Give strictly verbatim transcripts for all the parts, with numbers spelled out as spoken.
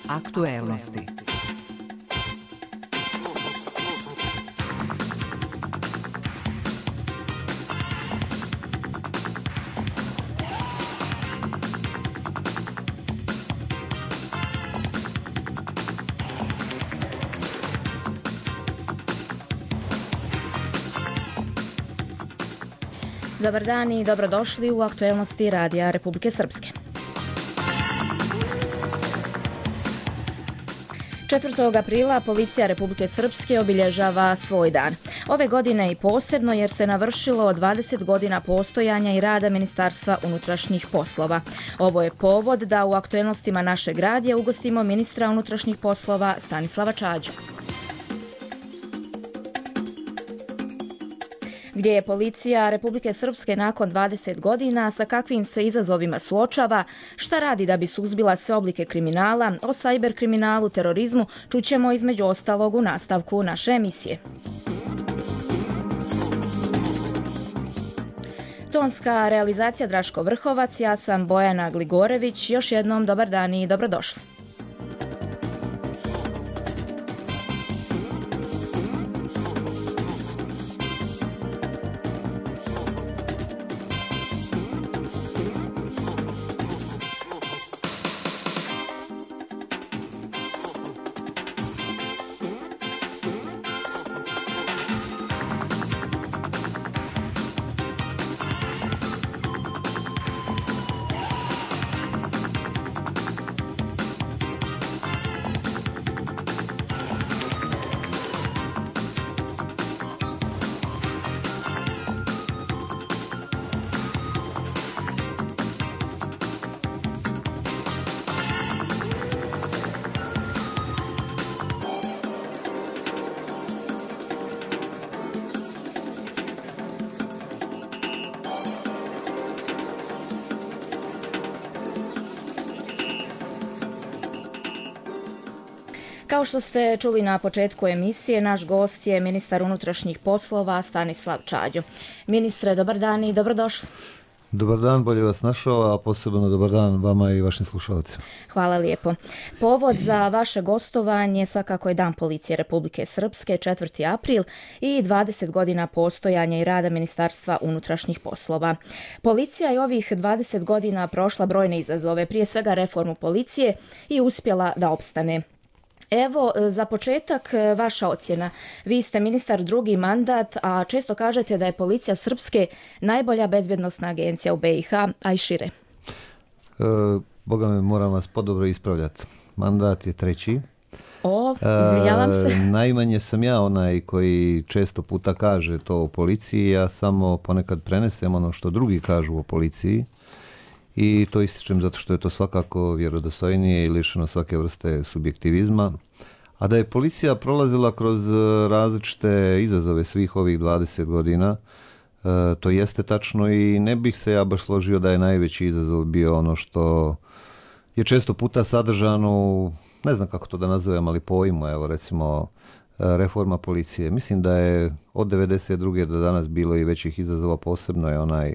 Aktuelnosti. Dobar dan i dobrodošli u aktuelnosti Radija Republike Srpske. četvrtog aprila Policija Republike Srpske obilježava svoj dan. Ove godine i posebno jer se navršilo dvadeset godina postojanja i rada Ministarstva unutrašnjih poslova. Ovo je povod da u aktuelnostima našeg radija ugostimo ministra unutrašnjih poslova Stanislava Čađu. Gdje je Policija Republike Srpske nakon dvadeset godina, sa kakvim se izazovima suočava, šta radi da bi suzbila sve oblike kriminala, o sajber kriminalu, terorizmu, čućemo između ostalog u nastavku naše emisije. Tonska realizacija Draško Vrhovac, ja sam Bojana Gligorević, još jednom dobar dan i dobrodošli. Kao što ste čuli na početku emisije, naš gost je ministar unutrašnjih poslova Stanislav Čađo. Ministre, dobar dan i dobrodošli. Dobar dan, bolje vas našao, a posebno dobar dan vama i vašim slušalcima. Hvala lijepo. Povod za vaše gostovanje svakako je Dan Policije Republike Srpske, četvrti april i dvadeset godina postojanja i rada Ministarstva unutrašnjih poslova. Policija je ovih dvadeset godina prošla brojne izazove, prije svega reformu policije i uspjela da opstane. Evo, za početak vaša ocjena. Vi ste ministar drugi mandat, a često kažete da je Policija Srpske najbolja bezbjednosna agencija u be i ha, a i šire. E, Boga me, moram vas podobro ispravljati. Mandat je treći. O, izvinjavam se. E, najmanje sam ja onaj koji često puta kaže to o policiji, ja samo ponekad prenesem ono što drugi kažu o policiji. I to ističem zato što je to svakako vjerodostojnije i lišeno svake vrste subjektivizma. A da je policija prolazila kroz različite izazove svih ovih dvadeset godina, to jeste tačno i ne bih se ja baš složio da je najveći izazov bio ono što je često puta sadržano u, ne znam kako to da nazovem, ali pojmu, evo recimo reforma policije. Mislim da je od devedeset druge do danas bilo i većih izazova, posebno je onaj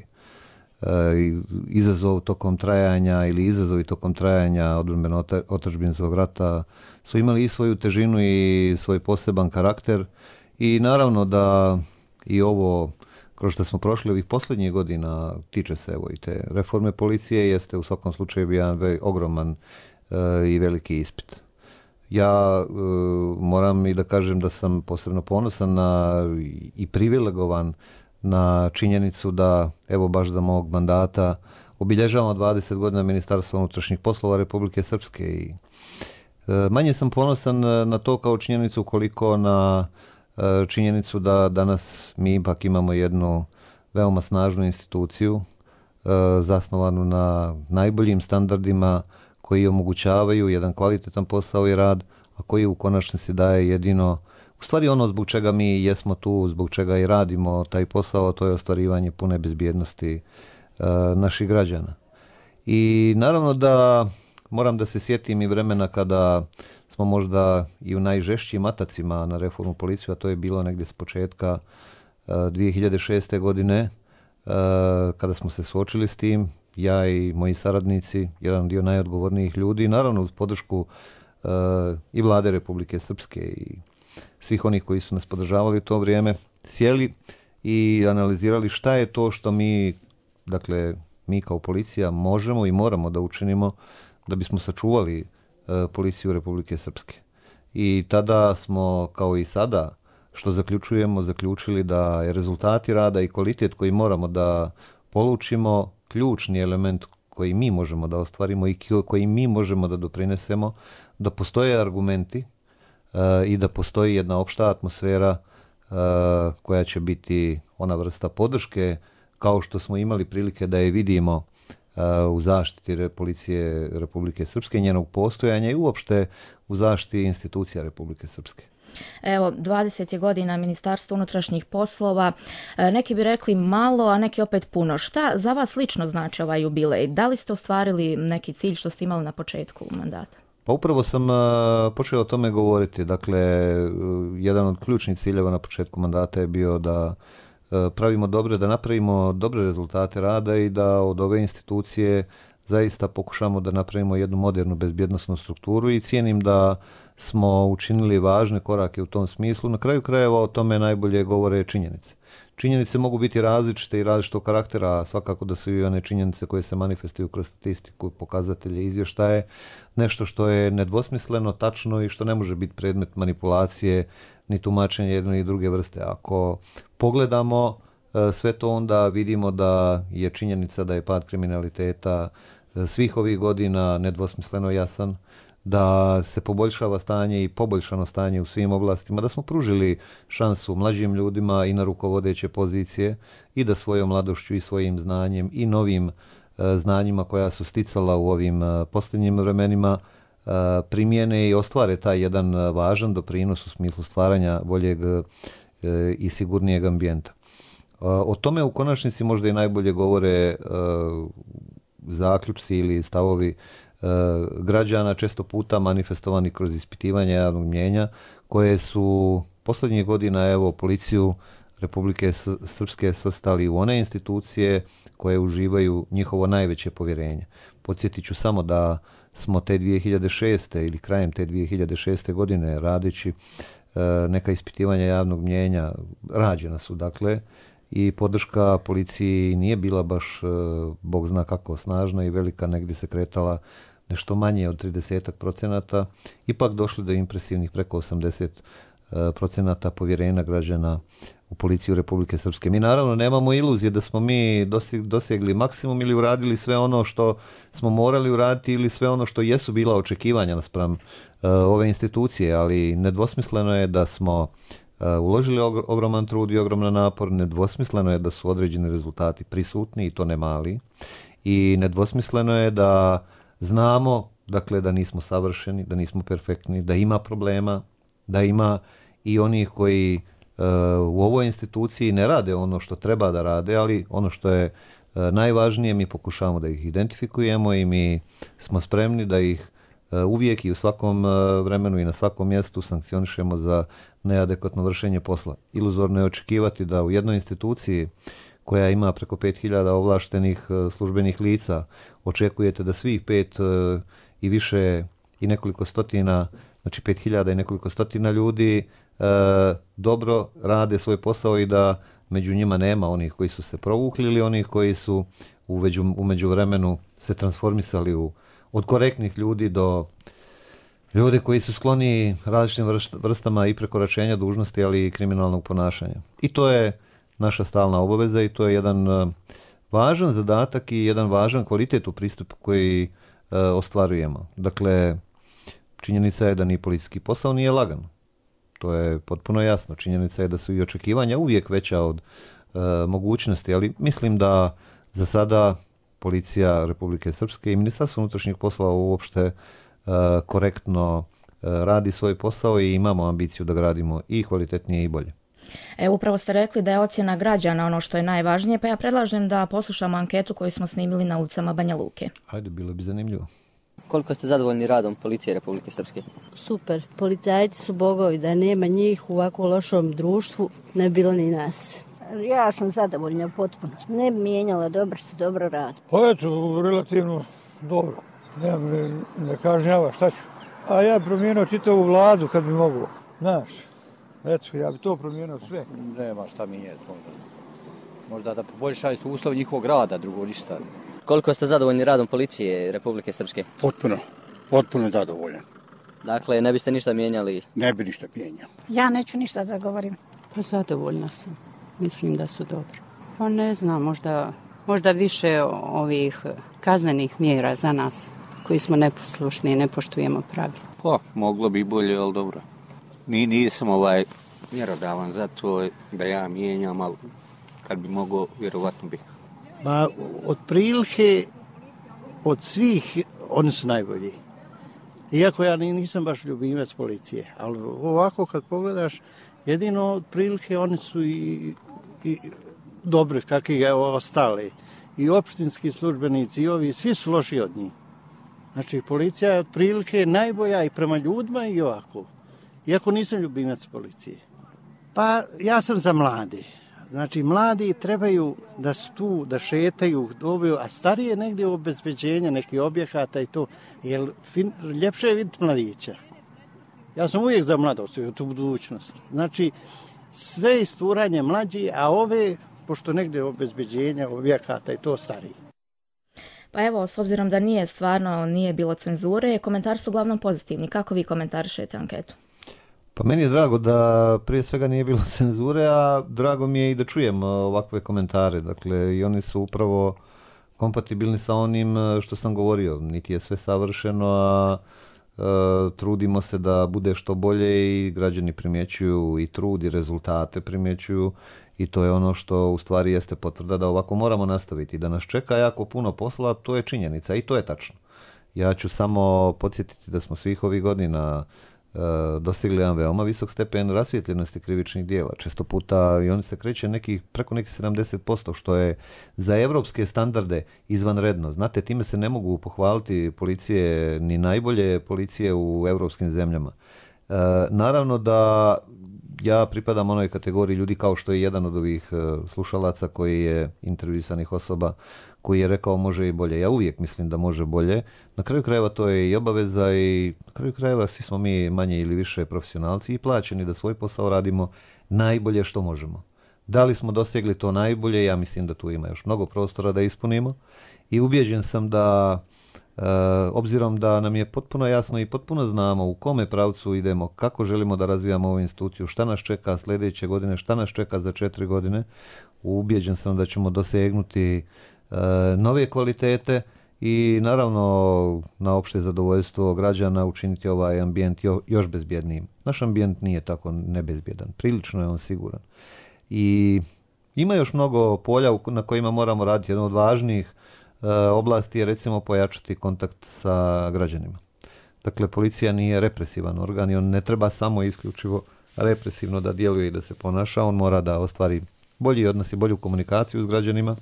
izazov tokom trajanja ili izazovi tokom trajanja odbrambeno-otadžbinskog rata su imali i svoju težinu i svoj poseban karakter i naravno da i ovo kroz što smo prošli ovih posljednjih godina tiče se evo i te reforme policije, jeste u svakom slučaju jedan ogroman uh, i veliki ispit. Ja uh, moram i da kažem da sam posebno ponosan na, i privilegovan na činjenicu da, evo baš za mog mandata, obilježavamo dvadeset godina Ministarstva unutrašnjih poslova Republike Srpske i e, manje sam ponosan na to kao činjenicu koliko na e, činjenicu da danas mi ipak imamo jednu veoma snažnu instituciju e, zasnovanu na najboljim standardima koji omogućavaju jedan kvalitetan posao i rad, a koji u konačnici daje jedino u stvari ono zbog čega mi jesmo tu, zbog čega i radimo taj posao, to je ostvarivanje pune bezbjednosti e, naših građana. I naravno da moram da se sjetim i vremena kada smo možda i u najžešćim atacima na reformu policiju, a to je bilo negdje s početka e, dvije hiljade šeste. godine, e, kada smo se suočili s tim, ja i moji saradnici, jedan dio najodgovornijih ljudi, naravno uz podršku i vlade Republike Srpske i svih onih koji su nas podržavali u to vrijeme, sjeli i analizirali šta je to što mi, dakle, mi kao policija možemo i moramo da učinimo da bismo sačuvali policiju Republike Srpske. I tada smo, kao i sada, što zaključujemo, zaključili da je rezultati rada i kvalitet koji moramo da polučimo ključni element koji mi možemo da ostvarimo i koji mi možemo da doprinesemo, da postoje argumenti uh, i da postoji jedna opšta atmosfera uh, koja će biti ona vrsta podrške, kao što smo imali prilike da je vidimo uh, u zaštiti policije Republike Srpske, njenog postojanja i uopšte u zaštiti institucija Republike Srpske. Evo, dvadeset je godina Ministarstva unutrašnjih poslova. Neki bi rekli malo, a neki opet puno. Šta za vas lično znači ovaj jubilej? Da li ste ostvarili neki cilj što ste imali na početku mandata? Pa upravo sam počeo o tome govoriti. Dakle, jedan od ključnih ciljeva na početku mandata je bio da pravimo dobre, da napravimo dobre rezultate rada i da od ove institucije zaista pokušamo da napravimo jednu modernu bezbjednosnu strukturu i cijenim da smo učinili važne korake u tom smislu. Na kraju krajeva o tome najbolje govore činjenice. Činjenice mogu biti različite i različitog karaktera, svakako da su i one činjenice koje se manifestuju kroz statistiku, pokazatelje, izvještaje, nešto što je nedvosmisleno, tačno i što ne može biti predmet manipulacije ni tumačenja jedne i druge vrste. Ako pogledamo sve to, onda vidimo da je činjenica da je pad kriminaliteta svih ovih godina nedvosmisleno jasan, da se poboljšava stanje i poboljšano stanje u svim oblastima, da smo pružili šansu mlađim ljudima i na rukovodeće pozicije i da svojom mladošću i svojim znanjem i novim e, znanjima koja su sticala u ovim e, posljednjim vremenima e, primjene i ostvare taj jedan važan doprinos u smislu stvaranja boljeg e, i sigurnijeg ambijenta. E, o tome u konačnici možda i najbolje govore e, zaključci ili stavovi građana, često puta manifestovani kroz ispitivanje javnog mnijenja, koje su posljednjih godina, evo, policiju Republike Srpske svrstali u one institucije koje uživaju njihovo najveće povjerenje. Podsjetit ću samo da smo te dvije hiljade šeste ili krajem te dvije hiljade šeste godine radeći neka ispitivanja javnog mnijenja, rađena su, dakle, i podrška policiji nije bila baš, bog zna kako, snažna i velika, negdje se kretala nešto manje od trideset procenata, ipak došli do impresivnih preko osamdeset procenata povjerenja građana u policiju Republike Srpske. Mi naravno nemamo iluzije da smo mi dosegli maksimum ili uradili sve ono što smo morali uraditi ili sve ono što jesu bila očekivanja naspram uh, ove institucije, ali nedvosmisleno je da smo uh, uložili ogroman trud i ogroman napor, nedvosmisleno je da su određeni rezultati prisutni i to ne mali i nedvosmisleno je da znamo, dakle, da nismo savršeni, da nismo perfektni, da ima problema, da ima i onih koji uh, u ovoj instituciji ne rade ono što treba da rade, ali ono što je uh, najvažnije, mi pokušavamo da ih identifikujemo i mi smo spremni da ih uh, uvijek i u svakom uh, vremenu i na svakom mjestu sankcionišemo za neadekvatno vršenje posla. Iluzorno je očekivati da u jednoj instituciji koja ima preko pet hiljada ovlaštenih uh, službenih lica, očekujete da svih pet uh, i više i nekoliko stotina, znači pet hiljada i nekoliko stotina ljudi uh, dobro rade svoj posao i da među njima nema onih koji su se provukli ili onih koji su u, veđu, u međuvremenu se transformisali u, od korektnih ljudi do ljudi koji su skloni različitim vrstama i prekoračenja dužnosti, ali i kriminalnog ponašanja. I to je naša stalna obaveza i to je jedan uh, važan zadatak i jedan važan kvalitet u pristupu koji uh, ostvarujemo. Dakle, činjenica je da ni policijski posao nije lagan. To je potpuno jasno. Činjenica je da su i očekivanja uvijek veća od uh, mogućnosti, ali mislim da za sada policija Republike Srpske i Ministarstvo unutrašnjih poslova uopšte uh, korektno uh, radi svoj posao i imamo ambiciju da gradimo i kvalitetnije i bolje. E, upravo ste rekli da je ocjena građana ono što je najvažnije, pa ja predlažem da poslušamo anketu koju smo snimili na ulicama Banja Luke. Hajde, bilo bi zanimljivo. Koliko ste zadovoljni radom policije Republike Srpske? Super. Policajci su bogovi, da nema njih u ovako lošom društvu, ne bilo ni nas. Ja sam zadovoljna potpuno. Ne bi mijenjala, dobro se, dobro radi. Pa eto, relativno dobro. Ne, ne, ne kažnjava, šta ću? A ja bi promijenio čitavu vladu kad bi mogu, znaš. Eto, ja bi to promijenio sve. Nema šta mijenjati možda. Možda da poboljšaju su uslovi njihovog rada, drugo ništa. Koliko ste zadovoljni radom policije Republike Srpske? Potpuno, potpuno zadovoljan. Dakle, ne biste ništa mijenjali? Ne bi ništa mijenjao. Ja neću ništa da govorim. Pa zadovoljna sam. Mislim da su dobro. Pa ne znam, možda, možda više ovih kaznenih mjera za nas koji smo neposlušni i ne poštujemo pravila. Pa, moglo bi bolje, ali dobro. Ni, nisam ovaj mjerodavan za to da ja mijenjam, ali kad bi mogao, vjerovatno bih. Ma, otprilike od svih oni su najbolji. Iako ja nisam baš ljubimac policije, ali ovako kad pogledaš, jedino otprilike oni su i, i dobri kakvi je ostali. I opštinski službenici i ovi, svi su loši od njih. Znači, policija je otprilike najbolja i prema ljudima i ovako. Iako nisam ljubimac policije. Pa ja sam za mlade. Znači, mladi trebaju da su tu, da šetaju, dobiju, a starije negdje u obezbeđenja nekih objekata i to, jer fin, ljepše je vidjeti mladića. Ja sam uvijek za mladost i tu budućnost. Znači, sve isturanje mlađi, a ove, pošto negdje obezbeđenja objekata i to stariji. Pa evo, s obzirom da nije stvarno, nije bilo cenzure, komentari su uglavnom pozitivni. Kako vi komentarišete anketu? Pa meni je drago da prije svega nije bilo cenzure, a drago mi je i da čujem ovakve komentare. Dakle, i oni su upravo kompatibilni sa onim što sam govorio. Niti je sve savršeno, a e, trudimo se da bude što bolje i građani primjećuju i trud i rezultate primjećuju i to je ono što u stvari jeste potvrda da ovako moramo nastaviti. Da nas čeka jako puno posla, to je činjenica i to je tačno. Ja ću samo podsjetiti da smo svih ovih godina dostigli jedan veoma visok stepen rasvijetljenosti krivičnih dijela. Često puta i oni se kreće nekih, preko nekih sedamdeset posto, što je za evropske standarde izvanredno. Znate, time se ne mogu pohvaliti policije, ni najbolje policije u evropskim zemljama. E, naravno da ja pripadam onoj kategoriji ljudi kao što je jedan od ovih slušalaca koji je intervjuisanih osoba koji je rekao može i bolje. Ja uvijek mislim da može bolje. Na kraju krajeva to je i obaveza i na kraju krajeva svi smo mi manje ili više profesionalci i plaćeni da svoj posao radimo najbolje što možemo. Da li smo dosegli to najbolje? Ja mislim da tu ima još mnogo prostora da ispunimo i ubjeđen sam da e, obzirom da nam je potpuno jasno i potpuno znamo u kome pravcu idemo, kako želimo da razvijamo ovu instituciju, šta nas čeka sljedeće godine, šta nas čeka za četiri godine, ubjeđen sam da ćemo dosegnuti nove kvalitete i naravno na opšte zadovoljstvo građana učiniti ovaj ambijent još bezbjednijim. Naš ambijent nije tako nebezbjedan, prilično je on siguran. I ima još mnogo polja na kojima moramo raditi. Jedno od važnijih oblasti je recimo pojačati kontakt sa građanima. Dakle, policija nije represivan organ i on ne treba samo isključivo represivno da djeluje i da se ponaša, on mora da ostvari bolji odnos i bolju komunikaciju s građanima.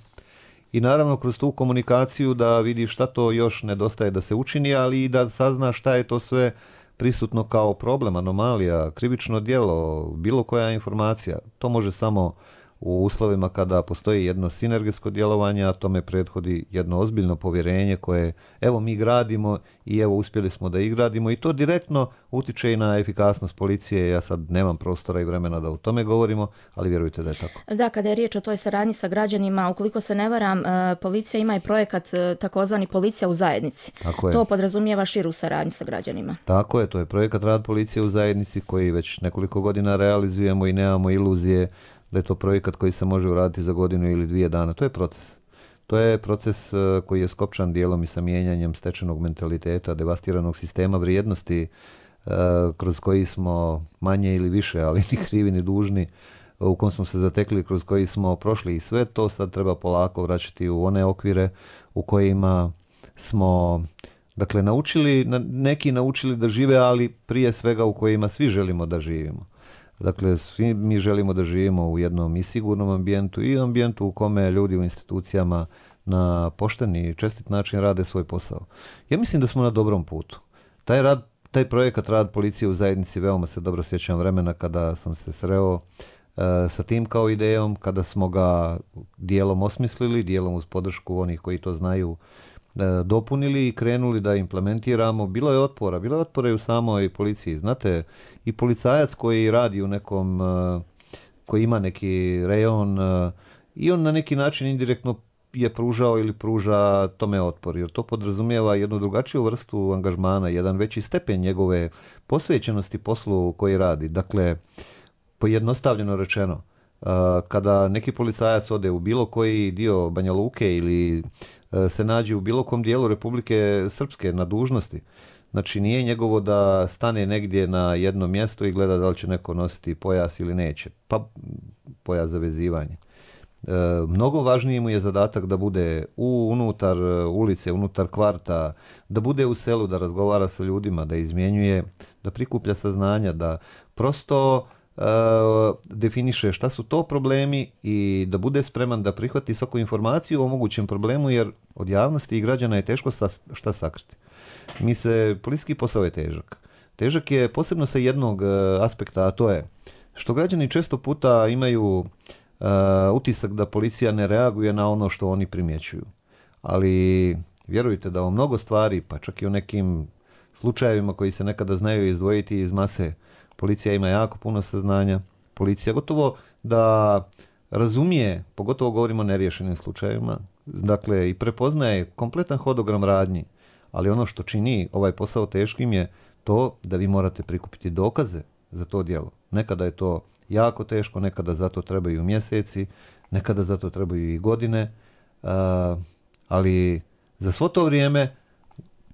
I naravno kroz tu komunikaciju da vidi šta to još nedostaje da se učini, ali i da sazna šta je to sve prisutno kao problem, anomalija, krivično djelo, bilo koja informacija. To može samo u uslovima kada postoji jedno sinergetsko djelovanje, a tome prethodi jedno ozbiljno povjerenje koje evo mi gradimo i evo uspjeli smo da ih gradimo i to direktno utiče i na efikasnost policije. Ja sad nemam prostora i vremena da o tome govorimo, ali vjerujte da je tako. Da, kada je riječ o toj saradnji sa građanima, ukoliko se ne varam, policija ima i projekat takozvani Policija u zajednici. To podrazumijeva širu saradnju sa građanima. Tako je, to je projekat Rad policije u zajednici koji već nekoliko godina realizujemo i nemamo iluzije da je to projekat koji se može uraditi za godinu ili dvije dana. To je proces. To je proces koji je skopčan dijelom i sa mijenjanjem stečenog mentaliteta, devastiranog sistema vrijednosti kroz koji smo manje ili više, ali ni krivi ni dužni, u kom smo se zatekli, kroz koji smo prošli i sve to sad treba polako vraćati u one okvire u kojima smo, dakle, naučili, neki naučili da žive, ali prije svega u kojima svi želimo da živimo. Dakle, svi mi želimo da živimo u jednom i sigurnom ambijentu i ambijentu u kome ljudi u institucijama na pošteni i čestit način rade svoj posao. Ja mislim da smo na dobrom putu. Taj rad, taj projekat Rad policije u zajednici, veoma se dobro sjećam vremena kada sam se sreo uh, sa tim kao idejom, kada smo ga dijelom osmislili, dijelom uz podršku onih koji to znaju dopunili i krenuli da implementiramo. Bilo je otpora, bilo je otpora i u samoj policiji. Znate, i policajac koji radi u nekom, koji ima neki rejon, i on na neki način indirektno je pružao ili pruža tome otpor, jer to podrazumijeva jednu drugačiju vrstu angažmana, jedan veći stepen njegove posvećenosti poslu koji radi. Dakle, pojednostavljeno rečeno, kada neki policajac ode u bilo koji dio Banja Luke ili se nađe u bilo kom dijelu Republike Srpske na dužnosti, znači nije njegovo da stane negdje na jedno mjesto i gleda da li će neko nositi pojas ili neće, pa pojas za vezivanje. E, mnogo važniji mu je zadatak da bude u, unutar ulice, unutar kvarta, da bude u selu, da razgovara sa ljudima, da izmjenjuje, da prikuplja saznanja, da prosto e, definiše šta su to problemi i da bude spreman da prihvati svaku informaciju o mogućem problemu, jer od javnosti i građana je teško sa, šta sakriti. Mi se, policijski posao je težak. Težak je posebno sa jednog aspekta, a to je što građani često puta imaju Uh, utisak da policija ne reaguje na ono što oni primjećuju. Ali vjerujte da o mnogo stvari, pa čak i u nekim slučajevima koji se nekada znaju izdvojiti iz mase, policija ima jako puno saznanja. Policija gotovo da razumije, pogotovo govorimo o neriješenim slučajevima, dakle i prepoznaje kompletan hodogram radnji, ali ono što čini ovaj posao teškim je to da vi morate prikupiti dokaze za to djelo. Nekada je to jako teško, nekada za to trebaju mjeseci, nekada za to trebaju i godine, uh, ali za svo to vrijeme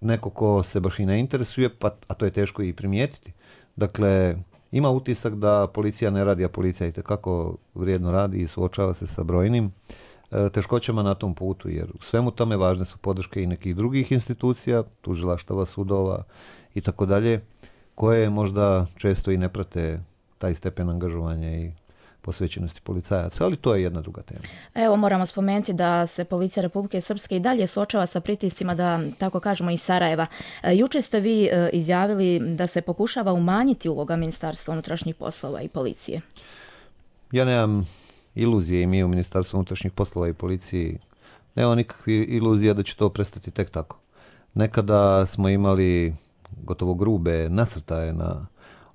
neko ko se baš i ne interesuje, pa, a to je teško i primijetiti. Dakle, ima utisak da policija ne radi, a policija itekako vrijedno radi i suočava se sa brojnim uh, teškoćama na tom putu, jer u svemu tome važne su podrške i nekih drugih institucija, tužilaštava, sudova i tako dalje, koje možda često i ne prate taj stepen angažovanja i posvećenosti policajaca, ali to je jedna druga tema. Evo, moramo spomenuti da se policija Republike Srpske i dalje suočava sa pritiscima, da tako kažemo, iz Sarajeva. Juče ste vi izjavili da se pokušava umanjiti uloga Ministarstva unutrašnjih poslova i policije. Ja nemam iluzije i mi u Ministarstvu unutrašnjih poslova i policiji nemamo nikakvih iluzija da će to prestati tek tako. Nekada smo imali gotovo grube nasrtaje na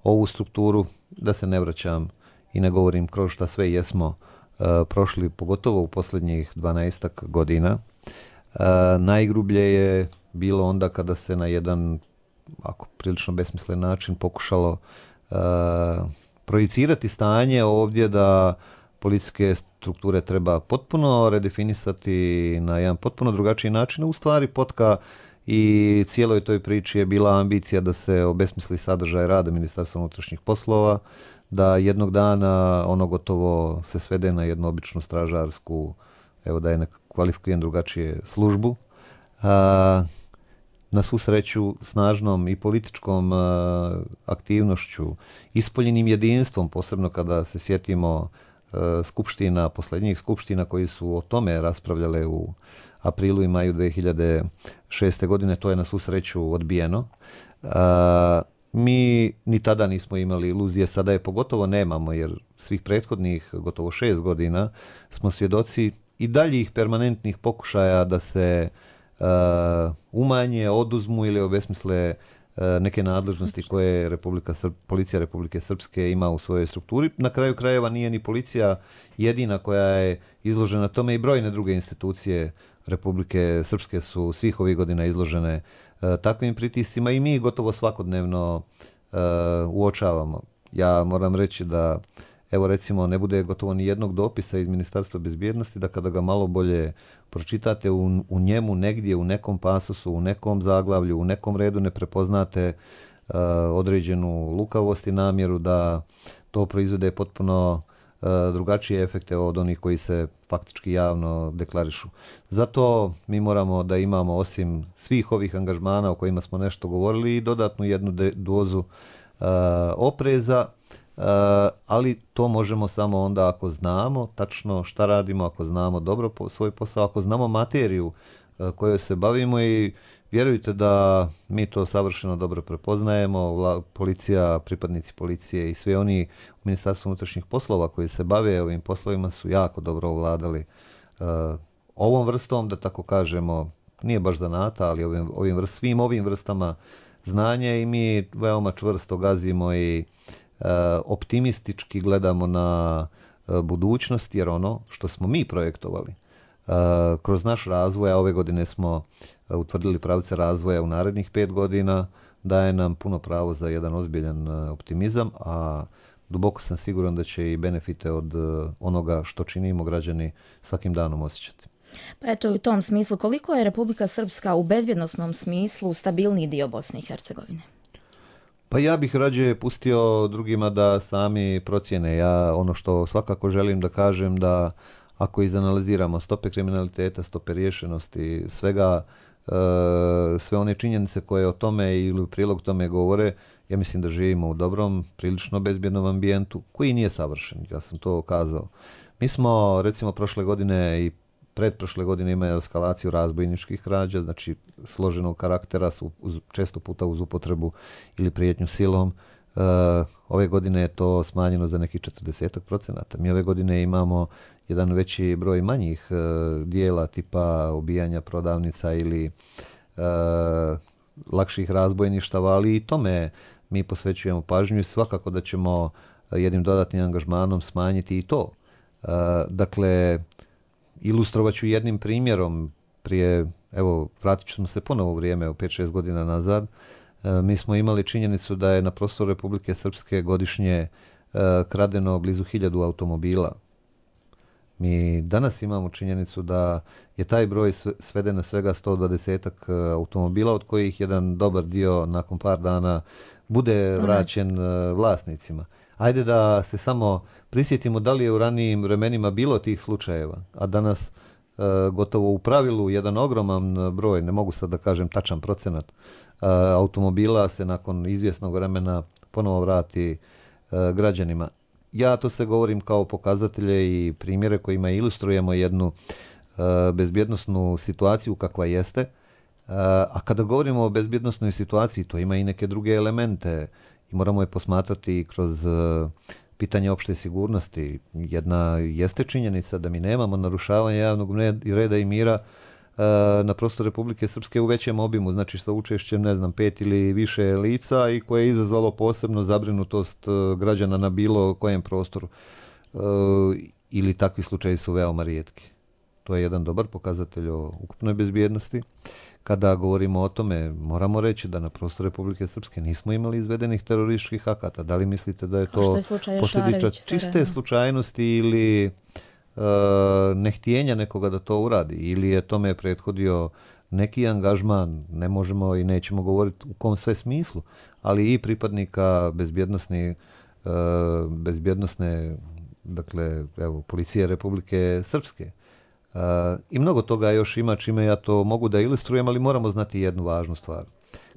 ovu strukturu, da se ne vraćam i ne govorim kroz šta sve jesmo uh, prošli, pogotovo u posljednjih dvanaestak godina. Uh, najgrublje je bilo onda kada se na jedan, ako prilično besmislen način, pokušalo uh, projicirati stanje ovdje da policijske strukture treba potpuno redefinisati na jedan potpuno drugačiji način. U stvari potka i cijeloj toj priči je bila ambicija da se obesmisli sadržaj rada Ministarstva unutrašnjih poslova, da jednog dana ono gotovo se svede na jednu običnu stražarsku, evo da je ne kvalifikujem drugačije, službu. A, na svu sreću snažnom i političkom a, aktivnošću, ispoljenim jedinstvom, posebno kada se sjetimo a, skupština, posljednjih skupština koji su o tome raspravljale u aprilu i maju dvije hiljade šeste. godine, to je na svu sreću odbijeno. A, mi ni tada nismo imali iluzije, sada je pogotovo nemamo, jer svih prethodnih gotovo šest godina smo svjedoci i daljih permanentnih pokušaja da se a, umanje, oduzmu ili obesmisle a, neke nadležnosti koje Republika Srp, policija Republike Srpske ima u svojoj strukturi. Na kraju krajeva nije ni policija jedina koja je izložena tome, i brojne druge institucije Republike Srpske su svih ovih godina izložene uh, takvim pritiscima i mi gotovo svakodnevno uh, uočavamo. Ja moram reći da, evo recimo, ne bude gotovo ni jednog dopisa iz Ministarstva bezbjednosti, da kada ga malo bolje pročitate, u, u njemu negdje, u nekom pasusu, u nekom zaglavlju, u nekom redu ne prepoznate uh, određenu lukavost i namjeru da to proizvode potpuno drugačije efekte od onih koji se faktički javno deklarišu. Zato mi moramo da imamo, osim svih ovih angažmana o kojima smo nešto govorili, i dodatnu jednu de- dozu uh, opreza, uh, ali to možemo samo onda ako znamo tačno šta radimo, ako znamo dobro po- svoj posao, ako znamo materiju uh, kojoj se bavimo, i vjerujte da mi to savršeno dobro prepoznajemo. Vla, policija, pripadnici policije i sve oni u Ministarstvu unutrašnjih poslova koji se bave ovim poslovima su jako dobro ovladali uh, ovom vrstom, da tako kažemo, nije baš zanata, ali ovim, ovim vrst, svim ovim vrstama znanja i mi veoma čvrsto gazimo i e, optimistički gledamo na e, budućnost, jer ono što smo mi projektovali e, kroz naš razvoj, a ove godine smo e, utvrdili pravce razvoja u narednih pet godina, daje nam puno pravo za jedan ozbiljan e, optimizam, a duboko sam siguran da će i benefite od e, onoga što činimo građani svakim danom osjećati. Pa eto, u tom smislu, koliko je Republika Srpska u bezbjednosnom smislu stabilniji dio Bosne i Hercegovine? Pa ja bih rađe pustio drugima da sami procjene. Ja ono što svakako želim da kažem, da ako izanaliziramo stope kriminaliteta, stope riješenosti, svega, e, sve one činjenice koje o tome ili u prilog tome govore, ja mislim da živimo u dobrom, prilično bezbjednom ambijentu koji nije savršen. Ja sam to kazao. Mi smo recimo prošle godine i pretprošle godine imaju eskalaciju razbojničkih krađa, znači složenog karaktera, su uz, često puta uz upotrebu ili prijetnju silom. E, ove godine je to smanjeno za nekih četrdeset procenata. Mi ove godine imamo jedan veći broj manjih e, dijela tipa ubijanja prodavnica ili e, lakših razbojništava, ali i tome mi posvećujemo pažnju i svakako da ćemo jednim dodatnim angažmanom smanjiti i to. E, dakle, ilustrovat ću jednim primjerom. Prije, evo, vratit ćemo se ponovo u vrijeme, u pet šest godina nazad. E, mi smo imali činjenicu da je na prostoru Republike Srpske godišnje e, kradeno blizu hiljadu automobila. Mi danas imamo činjenicu da je taj broj sveden na svega sto dvadeset automobila, od kojih jedan dobar dio nakon par dana bude vraćen e, vlasnicima. Ajde da se samo prisjetimo da li je u ranijim vremenima bilo tih slučajeva, a danas e, gotovo u pravilu jedan ogroman broj, ne mogu sad da kažem tačan procenat, e, automobila se nakon izvjesnog vremena ponovo vrati e, građanima. Ja to se govorim kao pokazatelje i primjere kojima ilustrujemo jednu e, bezbjednosnu situaciju kakva jeste, e, a kada govorimo o bezbjednosnoj situaciji, to ima i neke druge elemente i moramo je posmatrati kroz uh, pitanje opšte sigurnosti. Jedna jeste činjenica da mi nemamo narušavanja javnog reda i mira uh, na prostoru Republike Srpske u većem obimu, znači sa učešćem, ne znam, pet ili više lica i koje je izazvalo posebno zabrinutost uh, građana na bilo kojem prostoru. Uh, ili takvi slučaji su veoma rijetki. To je jedan dobar pokazatelj o ukupnoj bezbjednosti. Kada govorimo o tome, moramo reći da na prostoru Republike Srpske nismo imali izvedenih terorističkih akata. Da li mislite da je to je posljedica čiste slučajnosti ili uh, nehtijenja nekoga da to uradi? Ili je tome prethodio neki angažman, ne možemo i nećemo govoriti u kom sve smislu, ali i pripadnika bezbjednosne, uh, bezbjednosne dakle, evo, policije Republike Srpske. Uh, I mnogo toga još ima čime ja to mogu da ilustrujem, ali moramo znati jednu važnu stvar.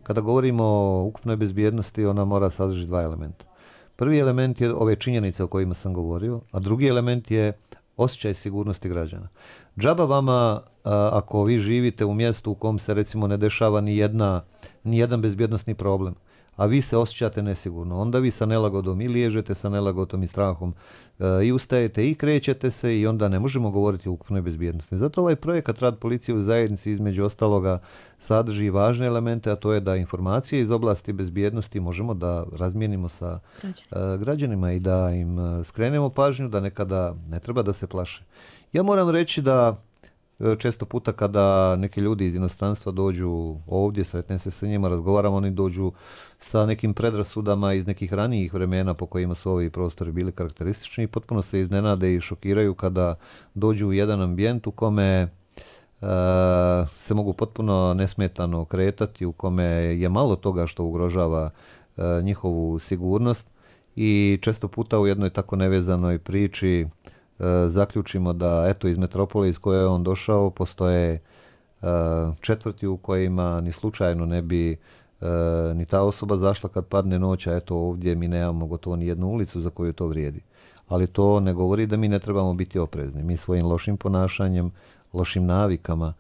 Kada govorimo o ukupnoj bezbjednosti, ona mora sadržiti dva elementa. Prvi element je ove činjenice o kojima sam govorio, a drugi element je osjećaj sigurnosti građana. Džaba vama, uh, ako vi živite u mjestu u kom se recimo ne dešava ni, jedna, ni jedan bezbjednosni problem, a vi se osjećate nesigurno, onda vi sa nelagodom i liježete sa nelagodom i strahom e, i ustajete i krećete se i onda ne možemo govoriti o ukupnoj bezbjednosti. Zato ovaj projekat Rad policije u zajednici između ostaloga sadrži važne elemente, a to je da informacije iz oblasti bezbjednosti možemo da razmijenimo sa e, građanima i da im skrenemo pažnju da nekada ne treba da se plaše. Ja moram reći da često puta kada neki ljudi iz inostranstva dođu ovdje, sretnem se sa njima, razgovaram, oni dođu sa nekim predrasudama iz nekih ranijih vremena po kojima su ovi prostori bili karakteristični i potpuno se iznenade i šokiraju kada dođu u jedan ambijent u kome e, se mogu potpuno nesmetano kretati, u kome je malo toga što ugrožava e, njihovu sigurnost i često puta u jednoj tako nevezanoj priči zaključimo da eto iz metropole iz koje je on došao postoje uh, četvrti u kojima ni slučajno ne bi uh, ni ta osoba zašla kad padne noć, a eto ovdje mi nemamo gotovo ni jednu ulicu za koju to vrijedi. Ali to ne govori da mi ne trebamo biti oprezni. Mi svojim lošim ponašanjem, lošim navikama,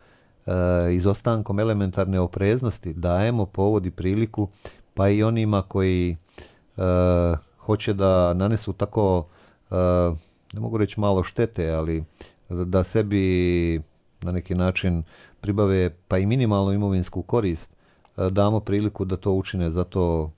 uh, izostankom elementarne opreznosti dajemo povod i priliku pa i onima koji uh, hoće da nanesu tako uh, ne mogu reći malo štete, ali da sebi na neki način pribave pa i minimalnu imovinsku korist, damo priliku da to učine, zato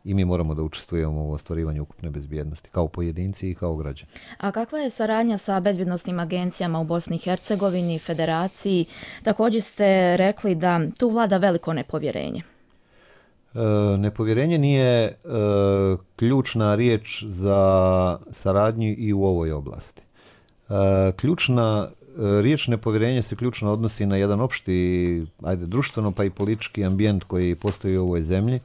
i mi moramo da učestvujemo u ostvarivanju ukupne bezbjednosti, kao pojedinci i kao građani. A kakva je saradnja sa bezbjednosnim agencijama u Bosni i Hercegovini, Federaciji? Također ste rekli da tu vlada veliko nepovjerenje. E, nepovjerenje nije e, ključna riječ za saradnju i u ovoj oblasti. E, ključna e, riječ nepovjerenja se ključno odnosi na jedan opšti, ajde, društveno pa i politički ambijent koji postoji u ovoj zemlji,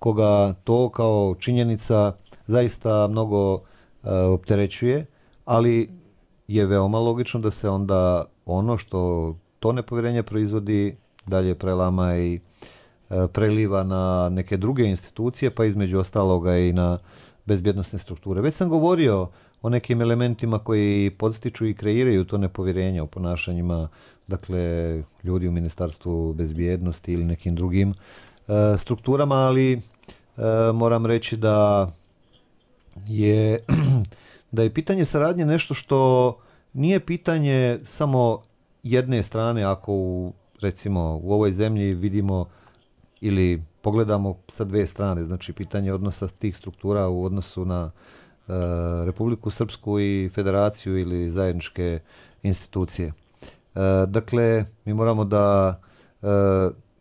koga to kao činjenica zaista mnogo e, opterećuje, ali je veoma logično da se onda ono što to nepovjerenje proizvodi dalje prelama i e, preliva na neke druge institucije, pa između ostaloga i na bezbjednosne strukture. Već sam govorio o nekim elementima koji podstiču i kreiraju to nepovjerenje u ponašanjima, dakle, ljudi u Ministarstvu bezbjednosti ili nekim drugim e, strukturama, ali E, moram reći da je da je pitanje saradnje nešto što nije pitanje samo jedne strane. Ako u, recimo u ovoj zemlji vidimo ili pogledamo sa dve strane, znači pitanje odnosa tih struktura u odnosu na e, Republiku Srpsku i Federaciju ili zajedničke institucije. E, dakle, mi moramo da e,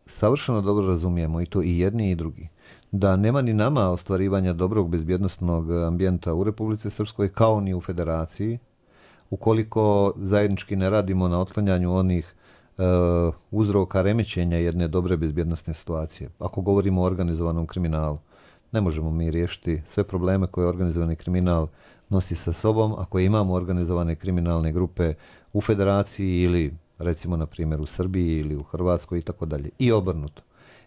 savršeno dobro razumijemo i to i jedni i drugi, da nema ni nama ostvarivanja dobrog bezbjednosnog ambijenta u Republici Srpskoj kao ni u Federaciji, ukoliko zajednički ne radimo na otklanjanju onih e, uzroka remećenja jedne dobre bezbjednosne situacije. Ako govorimo o organizovanom kriminalu, ne možemo mi riješiti sve probleme koje organizovani kriminal nosi sa sobom ako imamo organizovane kriminalne grupe u Federaciji ili recimo na primjer u Srbiji ili u Hrvatskoj i tako dalje. I obrnuto.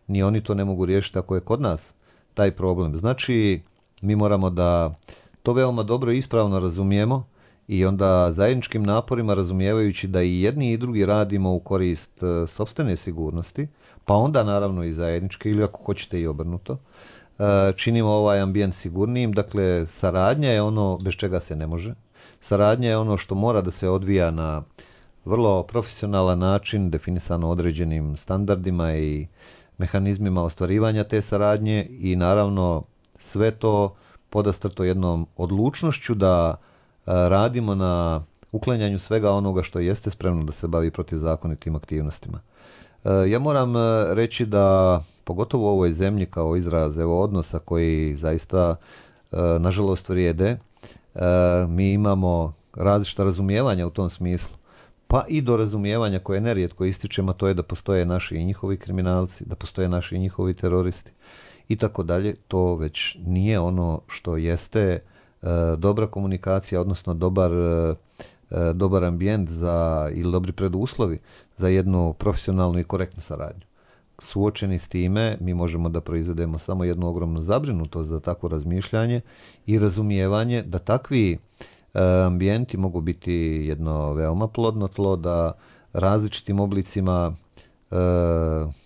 Ni oni to ne mogu riješiti ako je kod nas taj problem. Znači, mi moramo da to veoma dobro i ispravno razumijemo i onda zajedničkim naporima, razumijevajući da i jedni i drugi radimo u korist uh, sopstvene sigurnosti, pa onda naravno i zajedničke ili ako hoćete i obrnuto, uh, činimo ovaj ambijent sigurnijim. Dakle, saradnja je ono bez čega se ne može. Saradnja je ono što mora da se odvija na vrlo profesionalan način, definisano određenim standardima i mehanizmima ostvarivanja te saradnje i naravno sve to podastrto jednom odlučnošću da a, radimo na uklanjanju svega onoga što jeste spremno da se bavi protizakonitim aktivnostima. E, ja moram reći da pogotovo u ovoj zemlji kao izraz evo odnosa koji zaista e, nažalost vrijede, e, mi imamo različita razumijevanja u tom smislu. Pa i do razumijevanja koje nerijetko ističemo, to je da postoje naši i njihovi kriminalci, da postoje naši i njihovi teroristi i tako dalje. To već nije ono što jeste e, dobra komunikacija, odnosno dobar, e, dobar ambijent za, ili dobri preduslovi za jednu profesionalnu i korektnu saradnju. Suočeni s time, mi možemo da proizvedemo samo jednu ogromnu zabrinutost za takvo razmišljanje i razumijevanje da takvi ambijenti mogu biti jedno veoma plodno tlo da različitim oblicima e,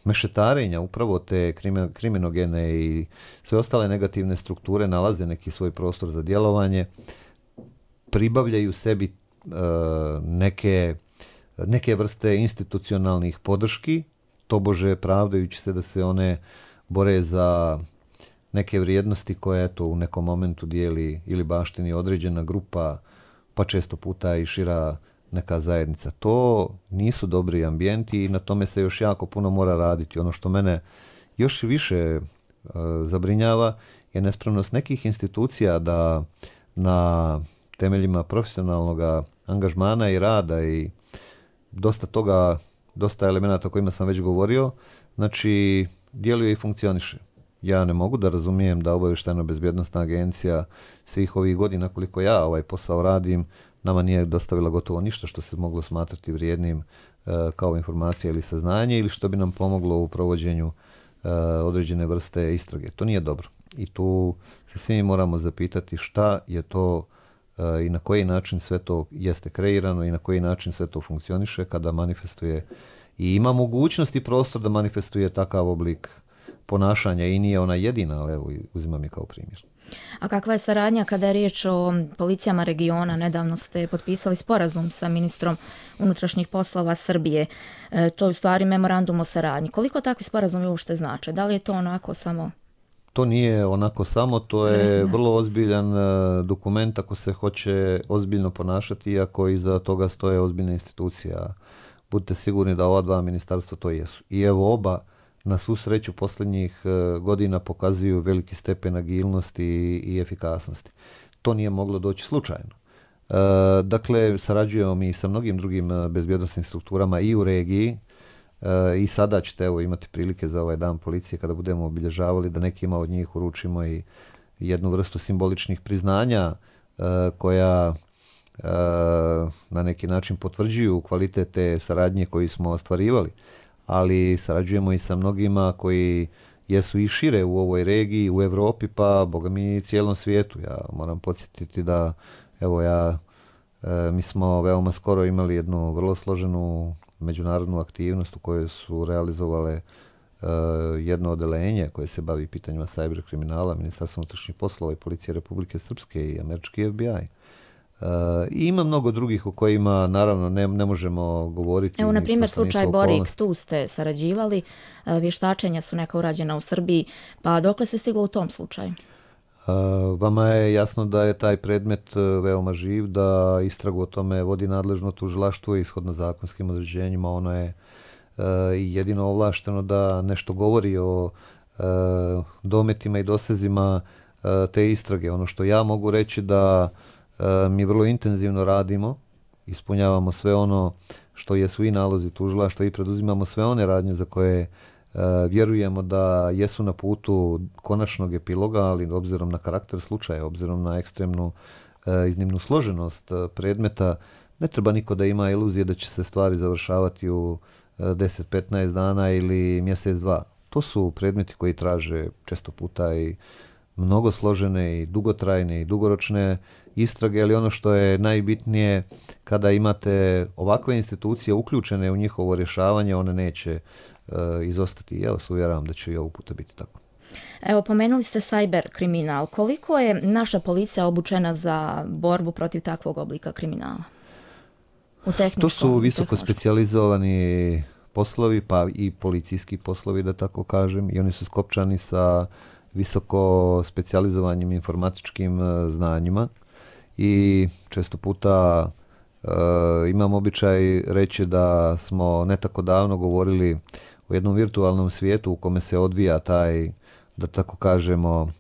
mešetarenja upravo te kriminogene i sve ostale negativne strukture nalaze neki svoj prostor za djelovanje, pribavljaju sebi e, neke, neke vrste institucionalnih podrški, tobože pravdajući se da se one bore za neke vrijednosti koje eto u nekom momentu dijeli ili baštini određena grupa, pa često puta i šira neka zajednica. To nisu dobri ambijenti i na tome se još jako puno mora raditi. Ono što mene još više e, zabrinjava je nespremnost nekih institucija da na temeljima profesionalnog angažmana i rada i dosta toga, dosta elemenata o kojima sam već govorio, znači djeluje i funkcioniše. Ja ne mogu da razumijem da Obavještajno-bezbjednosna agencija svih ovih godina koliko ja ovaj posao radim, nama nije dostavila gotovo ništa što se moglo smatrati vrijednim e, kao informacija ili saznanje ili što bi nam pomoglo u provođenju e, određene vrste istrage. To nije dobro. I tu se svi moramo zapitati šta je to e, i na koji način sve to jeste kreirano i na koji način sve to funkcioniše kada manifestuje i ima mogućnost i prostor da manifestuje takav oblik ponašanja i nije ona jedina, ali evo uzimam je kao primjer. A kakva je saradnja kada je riječ o policijama regiona? Nedavno ste potpisali sporazum sa ministrom unutrašnjih poslova Srbije. E, to je u stvari memorandum o saradnji. Koliko takvi sporazumi uopšte znače? Da li je to onako samo... To nije onako samo, to je vrlo ozbiljan dokument ako se hoće ozbiljno ponašati, iako iza toga stoje ozbiljne institucije. Budite sigurni da ova dva ministarstva to jesu. I evo oba na svu sreću posljednjih godina pokazuju veliki stepen agilnosti i efikasnosti. To nije moglo doći slučajno. Dakle, sarađujemo mi sa mnogim drugim bezbjednosnim strukturama i u regiji. I sada ćete evo imati prilike za ovaj dan policije kada budemo obilježavali da nekima od njih uručimo i jednu vrstu simboličnih priznanja koja na neki način potvrđuju kvalitet te saradnje koju smo ostvarivali, ali sarađujemo i sa mnogima koji jesu i šire u ovoj regiji, u Europi, pa boga mi i cijelom svijetu. Ja moram podsjetiti da evo ja mi smo veoma skoro imali jednu vrlo složenu međunarodnu aktivnost u kojoj su realizovale uh, jedno odelenje koje se bavi pitanjima cyber kriminala, Ministarstvo unutrašnjih poslova i Policije Republike Srpske i američki F B I. Uh, I ima mnogo drugih u kojima naravno ne, ne možemo govoriti. Evo, na primjer, slučaj Borik, tu ste sarađivali, vještačenja su neka urađena u Srbiji, pa dokle se stiglo u tom slučaju? Uh, vama je jasno da je taj predmet uh, veoma živ, da istragu o tome vodi nadležno tužilaštvo i ishodno zakonskim određenjima. Ono je uh, jedino ovlašteno da nešto govori o uh, dometima i dosezima uh, te istrage. Ono što ja mogu reći da uh, mi vrlo intenzivno radimo, ispunjavamo sve ono što jesu i nalozi tužilaštva i preduzimamo sve one radnje za koje Uh, vjerujemo da jesu na putu konačnog epiloga, ali obzirom na karakter slučaja, obzirom na ekstremnu uh, iznimnu složenost uh, predmeta, ne treba niko da ima iluzije da će se stvari završavati u uh, deset do petnaest dana ili mjesec dva. To su predmeti koji traže često puta i mnogo složene i dugotrajne i dugoročne istrage, ali ono što je najbitnije, kada imate ovakve institucije uključene u njihovo rješavanje, one neće izostati. Ja vas uvjeravam da će i ovog puta biti tako. Evo, pomenuli ste cyber kriminal. Koliko je naša policija obučena za borbu protiv takvog oblika kriminala? U tehničkom, to su visoko specijalizovani poslovi, pa i policijski poslovi, da tako kažem, i oni su skopčani sa visoko specijalizovanim informatičkim znanjima i često puta uh, imam običaj reći da smo ne tako davno govorili u jednom virtualnom svijetu u kome se odvija taj, da tako kažemo,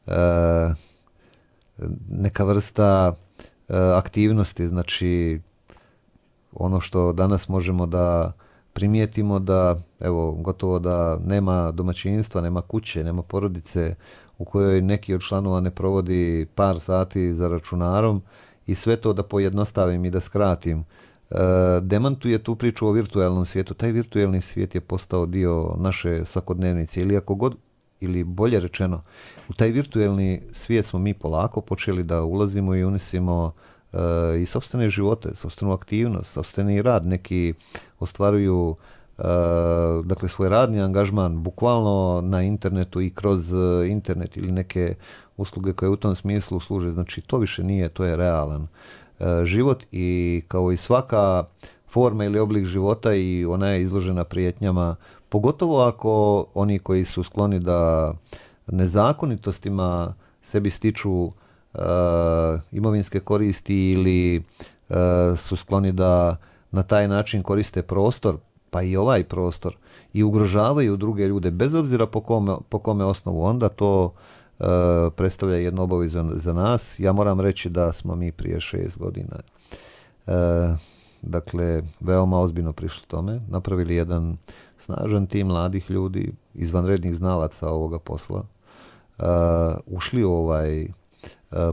uh, neka vrsta uh, aktivnosti, znači ono što danas možemo da primijetimo da, evo, gotovo da nema domaćinstva, nema kuće, nema porodice u kojoj neki od članova ne provodi par sati za računarom i sve to da pojednostavim i da skratim. E, demantuje tu priču o virtualnom svijetu. Taj virtualni svijet je postao dio naše svakodnevnice ili ako god, ili bolje rečeno, u taj virtualni svijet smo mi polako počeli da ulazimo i unisimo e, i sopstvene živote, sopstvenu aktivnost, sopstveni rad. Neki ostvaruju uh, dakle svoj radni angažman bukvalno na internetu i kroz uh, internet ili neke usluge koje u tom smislu služe. Znači to više nije, to je realan uh, život i kao i svaka forma ili oblik života i ona je izložena prijetnjama, pogotovo ako oni koji su skloni da nezakonitostima sebi stiču uh, imovinske koristi ili uh, su skloni da na taj način koriste prostor, pa i ovaj prostor, i ugrožavaju druge ljude, bez obzira po kome, po kome osnovu, onda to e, predstavlja jednu obavezu za nas. Ja moram reći da smo mi prije šest godina e, dakle, veoma ozbiljno prišli tome, napravili jedan snažan tim mladih ljudi, izvanrednih znalaca ovoga posla, e, ušli u ovaj e,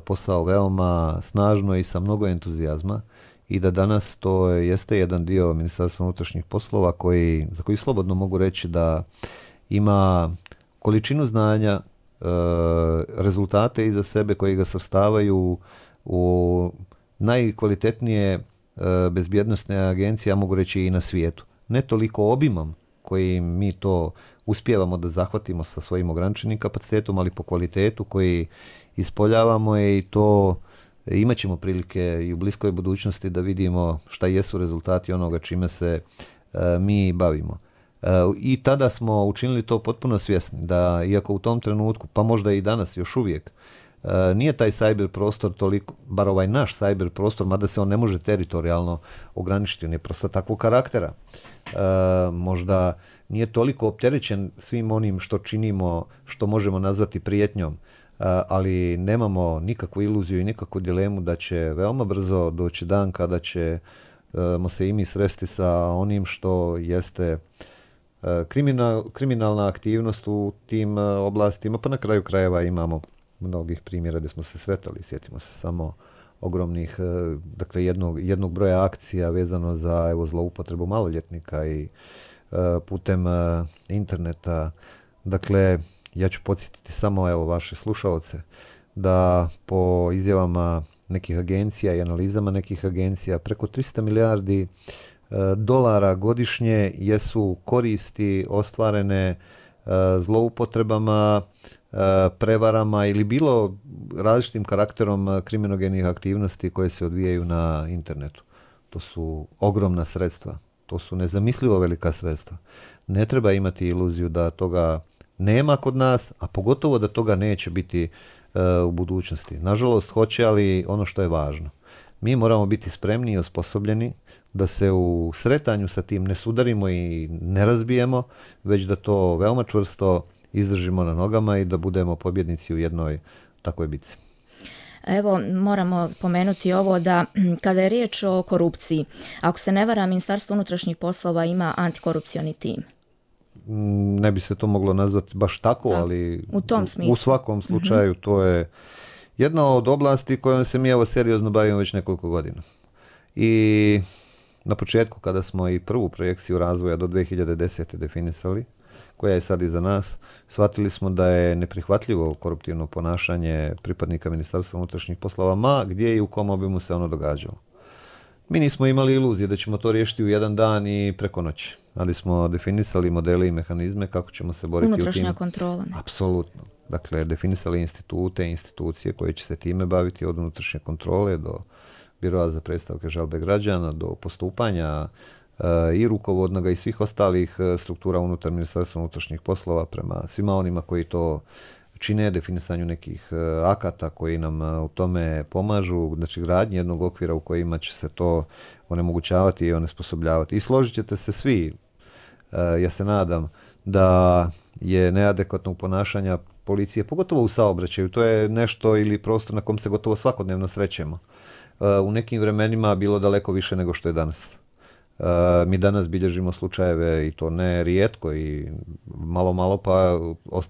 posao veoma snažno i sa mnogo entuzijazma, i da danas to jeste jedan dio Ministarstva unutrašnjih poslova koji, za koji slobodno mogu reći da ima količinu znanja, e, rezultate iza sebe koji ga svrstavaju u najkvalitetnije e, bezbjednosne agencije, ja mogu reći i na svijetu. Ne toliko obimom koji mi to uspijevamo da zahvatimo sa svojim ograničenim kapacitetom, ali po kvalitetu koji ispoljavamo je i to imat ćemo prilike i u bliskoj budućnosti da vidimo šta jesu rezultati onoga čime se uh, mi bavimo. Uh, I tada smo učinili to potpuno svjesni, da iako u tom trenutku, pa možda i danas još uvijek, uh, nije taj cyber prostor toliko, bar ovaj naš cyber prostor, mada se on ne može teritorijalno ograničiti, on je prosto takvog karaktera. Uh, možda nije toliko opterećen svim onim što činimo, što možemo nazvati prijetnjom, uh, ali nemamo nikakvu iluziju i nikakvu dilemu da će veoma brzo doći dan kada ćemo se i mi sresti sa onim što jeste Kriminal, kriminalna aktivnost u tim oblastima, pa na kraju krajeva imamo mnogih primjera gdje smo se sretali. Sjetimo se samo ogromnih, dakle jednog, jednog broja akcija vezano za evo, zloupotrebu maloljetnika i uh, putem uh, interneta. Dakle, ja ću podsjetiti samo evo, vaše slušaoce da po izjavama nekih agencija i analizama nekih agencija preko tristo milijardi dolara godišnje jesu koristi ostvarene uh, zloupotrebama, uh, prevarama ili bilo različitim karakterom uh, kriminogenih aktivnosti koje se odvijaju na internetu. To su ogromna sredstva. To su nezamislivo velika sredstva. Ne treba imati iluziju da toga nema kod nas, a pogotovo da toga neće biti uh, u budućnosti. Nažalost, hoće, ali ono što je važno. Mi moramo biti spremni i osposobljeni da se u sretanju sa tim ne sudarimo i ne razbijemo, već da to veoma čvrsto izdržimo na nogama i da budemo pobjednici u jednoj takvoj bitci. Evo, moramo spomenuti ovo da kada je riječ o korupciji, ako se ne varam, Ministarstvo unutrašnjih poslova ima antikorupcioni tim. Ne bi se to moglo nazvati baš tako, da, ali u, tom smislu. U svakom slučaju mm-hmm. to je jedna od oblasti kojom se mi evo seriozno bavimo već nekoliko godina. I na početku kada smo i prvu projekciju razvoja do dve hiljade desete definisali, koja je sad iza nas, shvatili smo da je neprihvatljivo koruptivno ponašanje pripadnika Ministarstva unutrašnjih poslova, ma gdje i u kom obimu se ono događalo. Mi nismo imali iluzije da ćemo to riješiti u jedan dan i preko noći, ali smo definisali modele i mehanizme kako ćemo se boriti unutrašnja u tim. kontrola. Apsolutno. Dakle, definisali institute i institucije koje će se time baviti od unutrašnje kontrole do Biroa za predstavke žalbe građana, do postupanja uh, i rukovodnoga i svih ostalih uh, struktura unutar Ministarstva unutrašnjih poslova prema svima onima koji to čine, definisanju nekih uh, akata koji nam uh, u tome pomažu, znači gradnje jednog okvira u kojima će se to onemogućavati i onesposobljavati. I složit ćete se svi, uh, ja se nadam, da je neadekvatnog ponašanja policije, pogotovo u saobraćaju, to je nešto ili prostor na kom se gotovo svakodnevno srećemo. U nekim vremenima bilo daleko više nego što je danas. Mi danas bilježimo slučajeve i to ne rijetko i malo malo pa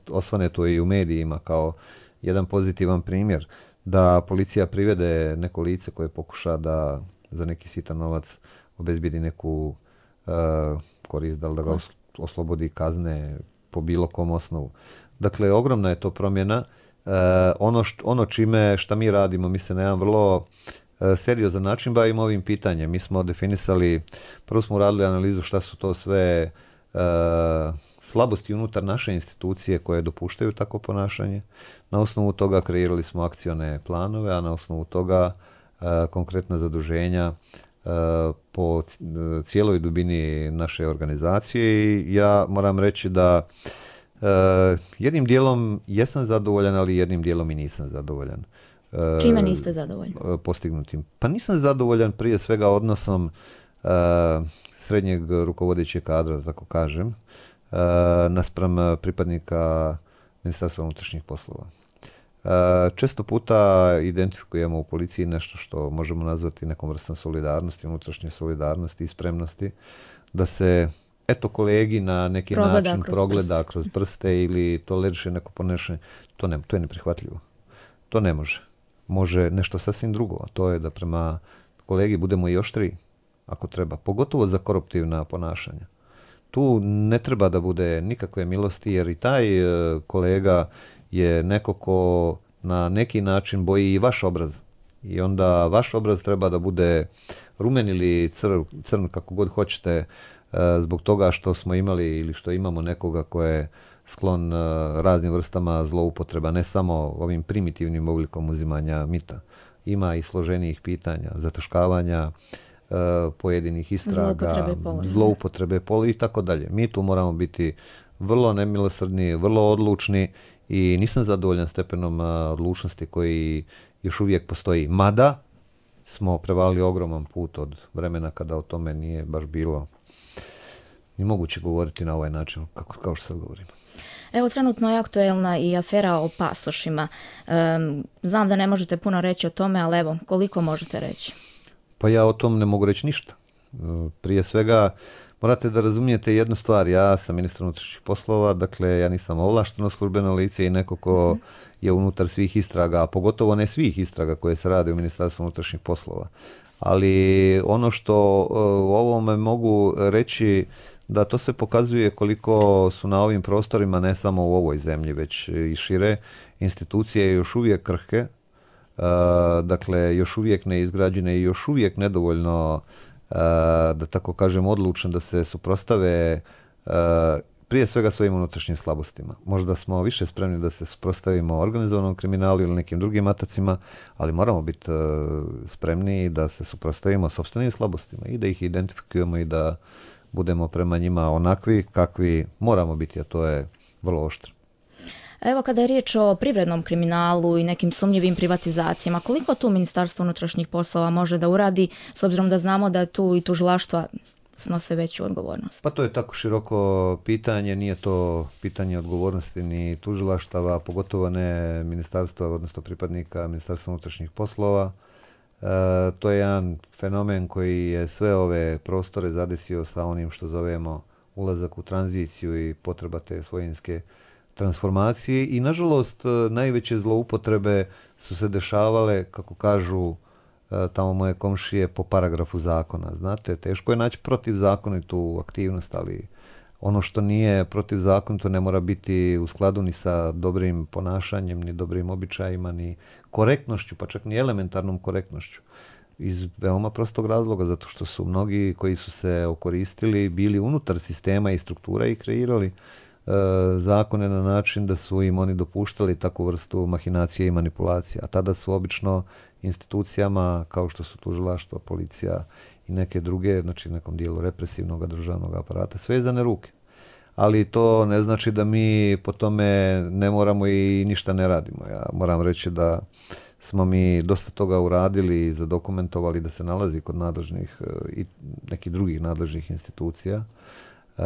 osvane to i u medijima kao jedan pozitivan primjer da policija privede neko lice koje pokuša da za neki sitan novac obezbijedi neku uh, korist, da li da ga oslobodi kazne po bilo kom osnovu. Dakle, ogromna je to promjena. Uh, ono, št, ono čime šta mi radimo, mi se na jedan vrlo seriozan način bavimo ovim pitanjem. Mi smo definisali, prvo smo uradili analizu šta su to sve uh, slabosti unutar naše institucije koje dopuštaju tako ponašanje. Na osnovu toga kreirali smo akcione planove, a na osnovu toga uh, konkretna zaduženja uh, po cijeloj dubini naše organizacije. I ja moram reći da uh, jednim dijelom jesam zadovoljan, ali jednim dijelom i nisam zadovoljan. Čime niste zadovoljni? Postignutim. Pa nisam zadovoljan prije svega odnosom uh, srednjeg rukovodećeg kadra, da tako kažem, uh, naspram pripadnika Ministarstva unutrašnjih poslova. Uh, često puta identifikujemo u policiji nešto što možemo nazvati nekom vrstom solidarnosti, unutrašnje solidarnosti i spremnosti, da se eto kolegi na neki progleda način kroz progleda prste. kroz prste ili toleriše neko ponašanje. To, ne, to je neprihvatljivo. To ne može. Može nešto sasvim drugo, a to je da prema kolegi budemo i oštriji, ako treba, pogotovo za koruptivna ponašanja. Tu ne treba da bude nikakve milosti, jer i taj e, kolega je neko ko na neki način boji i vaš obraz. I onda vaš obraz treba da bude rumen ili cr, crn, kako god hoćete, e, zbog toga što smo imali ili što imamo nekoga ko je sklon raznim vrstama zloupotreba, ne samo ovim primitivnim oblikom uzimanja mita. Ima i složenijih pitanja, zataškavanja pojedinih istraga, zloupotrebe pola i tako dalje. Mi tu moramo biti vrlo nemilosrdni, vrlo odlučni i nisam zadovoljan stepenom odlučnosti koji još uvijek postoji. Mada smo prevalili ogroman put od vremena kada o tome nije baš bilo ni moguće govoriti na ovaj način, kako, kao što sad govorimo. Evo, trenutno je aktuelna i afera o pasošima. Um, znam da ne možete puno reći o tome, ali evo, koliko možete reći? Pa ja o tom ne mogu reći ništa. Prije svega, morate da razumijete jednu stvar. Ja sam ministar unutrašnjih poslova, dakle, ja nisam ovlašteno službeno lice i neko ko je unutar svih istraga, a pogotovo ne svih istraga koje se rade u Ministarstvu unutrašnjih poslova. Ali ono što u ovome mogu reći, da to se pokazuje koliko su na ovim prostorima, ne samo u ovoj zemlji, već i šire, institucije još uvijek krhke, uh, dakle još uvijek neizgrađene i još uvijek nedovoljno, uh, da tako kažem, odlučne da se suprostave uh, prije svega svojim unutrašnjim slabostima. Možda smo više spremni da se suprotstavimo organizovanom kriminalu ili nekim drugim atacima, ali moramo biti uh, spremni da se suprotstavimo sopstvenim slabostima i da ih identifikujemo i da budemo prema njima onakvi kakvi moramo biti, a to je vrlo oštro. Evo, kada je riječ o privrednom kriminalu i nekim sumnjivim privatizacijama, koliko tu Ministarstvo unutrašnjih poslova može da uradi, s obzirom da znamo da tu i tužilaštva snose veću odgovornost? Pa to je tako široko pitanje, nije to pitanje odgovornosti ni tužilaštava, pogotovo ne ministarstva, odnosno pripadnika Ministarstva unutrašnjih poslova. E, to je jedan fenomen koji je sve ove prostore zadesio sa onim što zovemo ulazak u tranziciju i potreba te svojinske transformacije i nažalost najveće zloupotrebe su se dešavale, kako kažu tamo moje komšije, po paragrafu zakona. Znate, teško je naći protivzakonitu aktivnost, ali ono što nije protivzakonito ne mora biti u skladu ni sa dobrim ponašanjem, ni dobrim običajima, ni korektnošću, pa čak ni elementarnom korektnošću. Iz veoma prostog razloga, zato što su mnogi koji su se okoristili bili unutar sistema i struktura i kreirali e, zakone na način da su im oni dopuštali takvu vrstu mahinacije i manipulacije. A tada su obično institucijama kao što su tužilaštva, policija i neke druge, znači nekom dijelu represivnog državnog aparata, svezane ruke. Ali to ne znači da mi po tome ne moramo i ništa ne radimo. Ja moram reći da smo mi dosta toga uradili i zadokumentovali da se nalazi kod nadležnih i nekih drugih nadležnih institucija uh,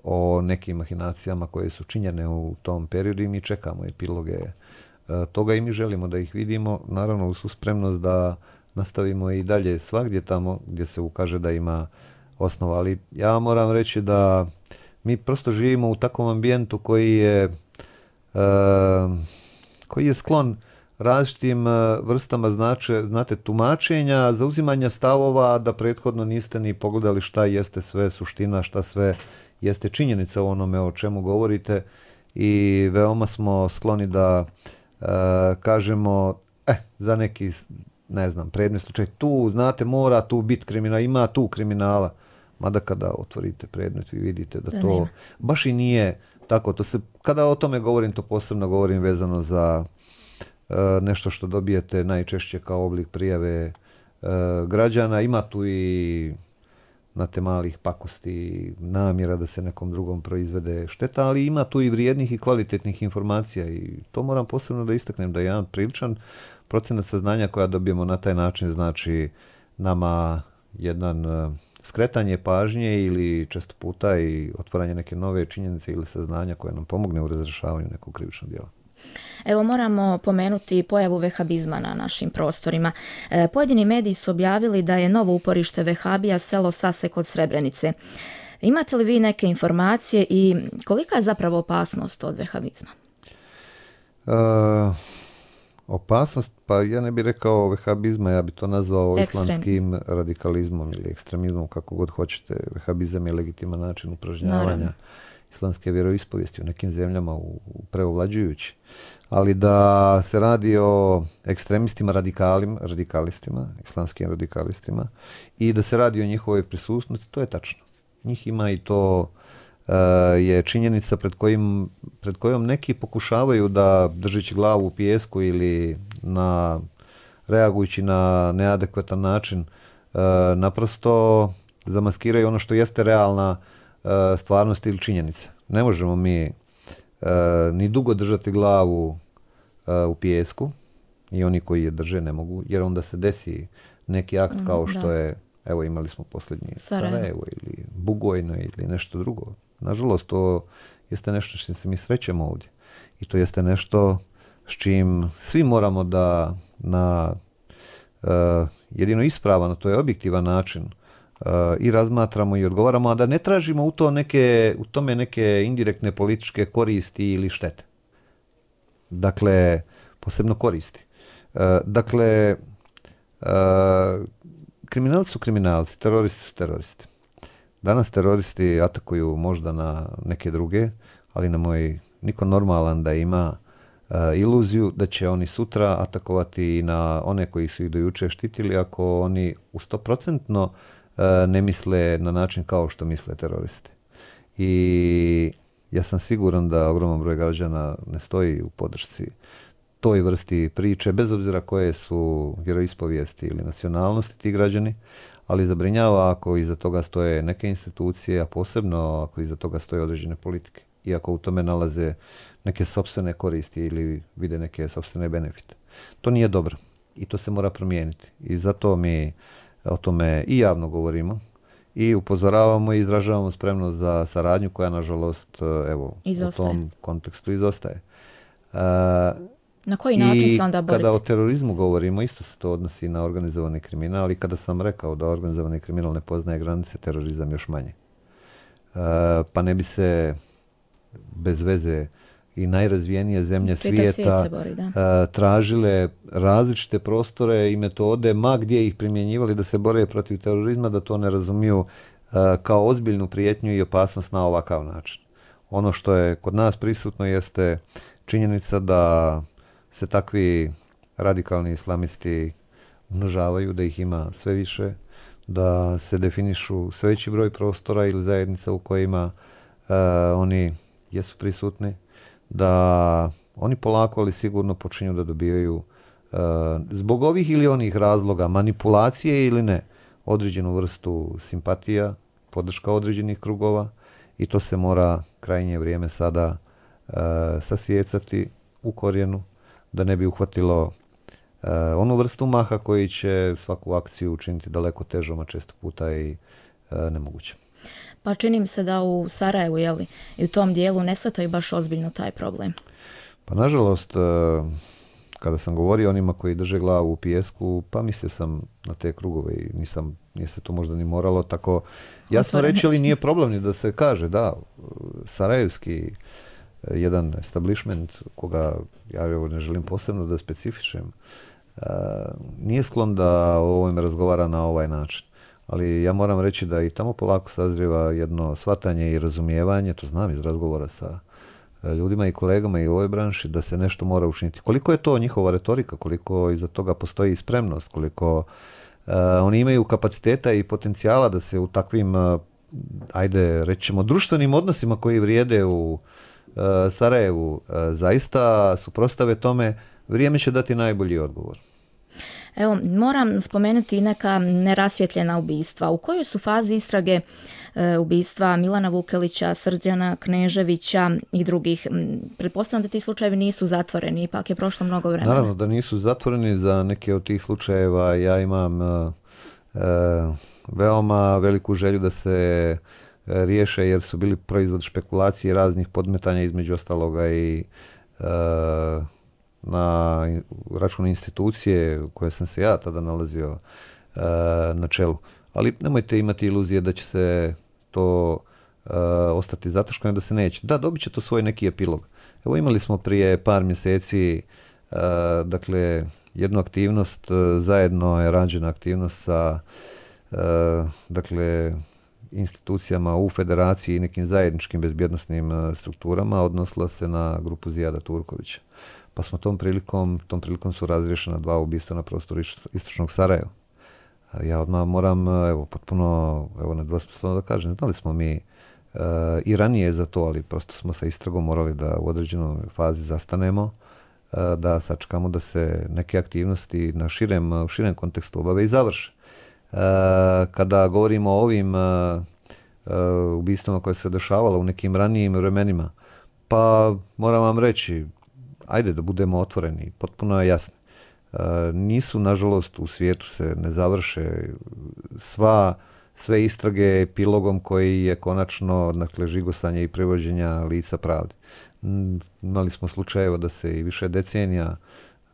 o nekim mahinacijama koje su činjene u tom periodu i mi čekamo epiloge uh, toga i mi želimo da ih vidimo. Naravno, uz spremnost da nastavimo i dalje svagdje tamo gdje se ukaže da ima osnova. Ali ja moram reći da mi prosto živimo u takvom ambijentu koji je, uh, koji je sklon različitim vrstama znače, znate, tumačenja, zauzimanja stavova, da prethodno niste ni pogledali šta jeste sve suština, šta sve jeste činjenica o onome o čemu govorite i veoma smo skloni da uh, kažemo, eh, za neki, ne znam, predmet slučaj, tu, znate, mora tu biti kriminala, ima tu kriminala, mada kada otvorite predmet vi vidite da, da to nema. Baš i nije tako. To se, kada o tome govorim, to posebno govorim vezano za nešto što dobijete najčešće kao oblik prijave e, građana. Ima tu i znate, malih pakosti, namjera da se nekom drugom proizvede šteta, ali ima tu i vrijednih i kvalitetnih informacija i to moram posebno da istaknem da je jedan priličan procenat saznanja koja dobijemo na taj način znači nama jedan skretanje pažnje ili često puta i otvaranje neke nove činjenice ili saznanja koje nam pomogne u razrješavanju nekog krivičnog djela. Evo, moramo pomenuti pojavu vehabizma na našim prostorima. E, pojedini mediji su objavili da je novo uporište vehabija selo Sase kod Srebrenice. Imate li vi neke informacije i kolika je zapravo opasnost od vehabizma? E, opasnost, pa ja ne bih rekao vehabizma, ja bih to nazvao Ekstrem. islamskim radikalizmom ili ekstremizmom, kako god hoćete. Vehabizam je legitiman način upražnjavanja Naravno. islamske vjeroispovijesti u nekim zemljama u, u preovlađujući. Ali da se radi o ekstremistima, radikalim, radikalistima, islamskim radikalistima i da se radi o njihovoj prisutnosti, to je tačno. Njih ima i to uh, je činjenica pred, kojim, pred kojom neki pokušavaju da, držeći glavu u pijesku ili na, reagujući na neadekvatan način, uh, naprosto zamaskiraju ono što jeste realna uh, stvarnost ili činjenica. Ne možemo mi uh, ni dugo držati glavu uh, u pijesku, i oni koji je drže ne mogu, jer onda se desi neki akt mm, kao što da. je, evo imali smo posljednji Sarajevo. Sarajevo ili Bugojno ili nešto drugo. Nažalost, to jeste nešto što se mi srećemo ovdje. I to jeste nešto s čim svi moramo da na uh, jedino ispravan, to je objektivan način uh, i razmatramo i odgovaramo, a da ne tražimo u, to neke, u tome neke indirektne političke koristi ili štete. Dakle, posebno koristi. Uh, dakle, uh, kriminalci su kriminalci, teroristi su teroristi. Danas teroristi atakuju možda na neke druge, ali na moj niko normalan da ima uh, iluziju da će oni sutra atakovati i na one koji su ih do juče štitili ako oni u sto procentno uh, ne misle na način kao što misle teroristi. I ja sam siguran da ogroman broj građana ne stoji u podršci toj vrsti priče, bez obzira koje su vjeroispovijesti ili nacionalnosti ti građani, ali zabrinjava ako iza toga stoje neke institucije, a posebno ako iza toga stoje određene politike. I ako u tome nalaze neke sopstvene koristi ili vide neke sopstvene benefite. To nije dobro i to se mora promijeniti. I zato mi o tome i javno govorimo i upozoravamo i izražavamo spremnost za saradnju koja, nažalost, evo, izostaje. U tom kontekstu izostaje. Uh, Na koji način se onda boriti? I kada o terorizmu govorimo, isto se to odnosi na organizovani kriminal, i kada sam rekao da organizovani kriminal ne poznaje granice, terorizam još manje. Uh, pa ne bi se bez veze i najrazvijenije zemlje svijeta svijet bori, da. uh, tražile različite prostore i metode, ma gdje ih primjenjivali da se bore protiv terorizma, da to ne razumiju uh, kao ozbiljnu prijetnju i opasnost na ovakav način. Ono što je kod nas prisutno jeste činjenica da se takvi radikalni islamisti umnožavaju, da ih ima sve više, da se definišu sve veći broj prostora ili zajednica u kojima uh, oni jesu prisutni, da oni polako ali sigurno počinju da dobijaju uh, zbog ovih ili onih razloga, manipulacije ili ne, određenu vrstu simpatija, podrška određenih krugova, i to se mora krajnje vrijeme sada uh, sasijecati u korijenu, da ne bi uhvatilo uh, onu vrstu maha koji će svaku akciju učiniti daleko težom, a često puta i uh, nemoguće. Pa čini mi se da u Sarajevu, jeli, i u tom dijelu ne shvataju baš ozbiljno taj problem. Pa nažalost, uh, kada sam govorio onima koji drže glavu u pijesku, pa mislio sam na te krugove i nisam, nije se to možda ni moralo tako jasno reći, ali nije problem ni da se kaže, da, sarajevski jedan establishment, koga ja ne želim posebno da specifišem, uh, nije sklon da o ovome razgovara na ovaj način. Ali ja moram reći da i tamo polako sazrijeva jedno shvatanje i razumijevanje, to znam iz razgovora sa ljudima i kolegama i u ovoj branši, da se nešto mora učiniti. Koliko je to njihova retorika, koliko iza toga postoji spremnost, koliko uh, oni imaju kapaciteta i potencijala da se u takvim, uh, ajde, rećemo, društvenim odnosima koji vrijede u uh, Sarajevu, uh, zaista suprotstave tome, vrijeme će dati najbolji odgovor. Evo, moram spomenuti neka nerasvjetljena ubistva. U kojoj su fazi istrage e, ubistva Milana Vukelića, Srđana Kneževića i drugih? Pretpostavljam da ti slučajevi nisu zatvoreni, ipak je prošlo mnogo vremena. Naravno da nisu zatvoreni. Za neke od tih slučajeva ja imam e, veoma veliku želju da se riješe, jer su bili proizvod špekulacije raznih podmetanja, između ostaloga i e, na račun institucije u kojoj sam se ja tada nalazio uh, na čelu. Ali nemojte imati iluzije da će se to uh, ostati zataškano, da se neće. Da, dobit će to svoj neki epilog. Evo, imali smo prije par mjeseci uh, dakle, jednu aktivnost, uh, zajedno je rađena aktivnost sa uh, dakle, institucijama u federaciji i nekim zajedničkim bezbjednosnim uh, strukturama, odnosila se na grupu Zijada Turkovića. Pa smo tom prilikom, tom prilikom su razriješena dva ubistva na prostoru istočnog Sarajeva. Ja odmah moram, evo, potpuno, evo, nedvosmisleno da kažem, znali smo mi uh, i ranije za to, ali prosto smo sa istragom morali da u određenoj fazi zastanemo, uh, da sačekamo da se neke aktivnosti na širem, u širem kontekstu obave i završe. Uh, kada govorimo o ovim uh, uh, ubistvama koje se dešavala u nekim ranijim vremenima, pa moram vam reći, ajde da budemo otvoreni, potpuno je jasno. Uh, nisu, nažalost, u svijetu se ne završe sva, sve istrage epilogom koji je konačno, dakle, žigosanje i privođenja lica pravdi. Mm, imali smo slučajeva da se i više decenija,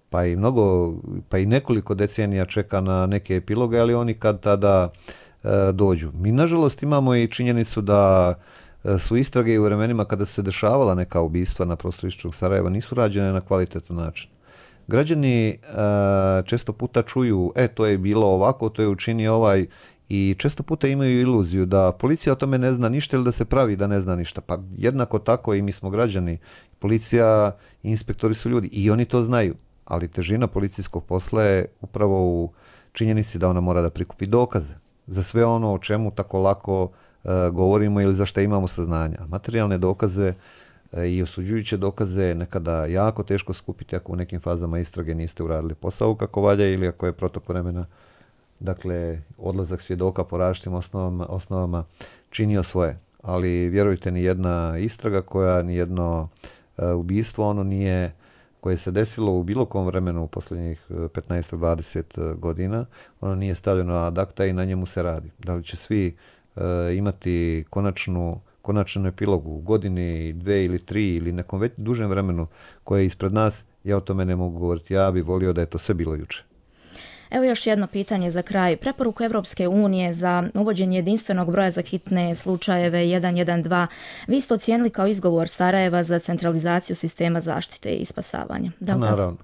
pa i mnogo, pa i nekoliko decenija čeka na neke epiloge, ali oni kad tada uh, dođu. Mi, nažalost, imamo i činjenicu da uh, su istrage i u vremenima kada su se dešavala neka ubistva na prostoru istočnog Sarajeva nisu rađene na kvalitetan način. Građani uh, često puta čuju, e, to je bilo ovako, to je učinio ovaj, i često puta imaju iluziju da policija o tome ne zna ništa ili da se pravi da ne zna ništa. Pa jednako tako i mi smo građani. Policija i inspektori su ljudi i oni to znaju, ali težina policijskog posla je upravo u činjenici da ona mora da prikupi dokaze za sve ono o čemu tako lako uh, govorimo ili za što imamo saznanja. Materijalne dokaze i osuđujuće dokaze je nekada jako teško skupiti ako u nekim fazama istrage niste uradili posao kako valja ili ako je protok vremena, dakle, odlazak svjedoka po različitim osnovama, osnovama činio svoje. Ali vjerujte, ni jedna istraga koja, ni jedno uh, ubistvo, ono nije, koje se desilo u bilo kom vremenu u posljednjih petnaest do dvadeset godina, ono nije stavljeno ad acta i na njemu se radi. Da li će svi uh, imati konačnu konačan epilog u godini, dve ili tri ili nekom već dužem vremenu koje je ispred nas, ja o tome ne mogu govoriti. Ja bih volio da je to sve bilo juče. Evo još jedno pitanje za kraj. Preporuku Evropske unije za uvođenje jedinstvenog broja za hitne slučajeve jedan jedan dva vi ste ocijenili kao izgovor Sarajeva za centralizaciju sistema zaštite i spasavanja. Da li naravno.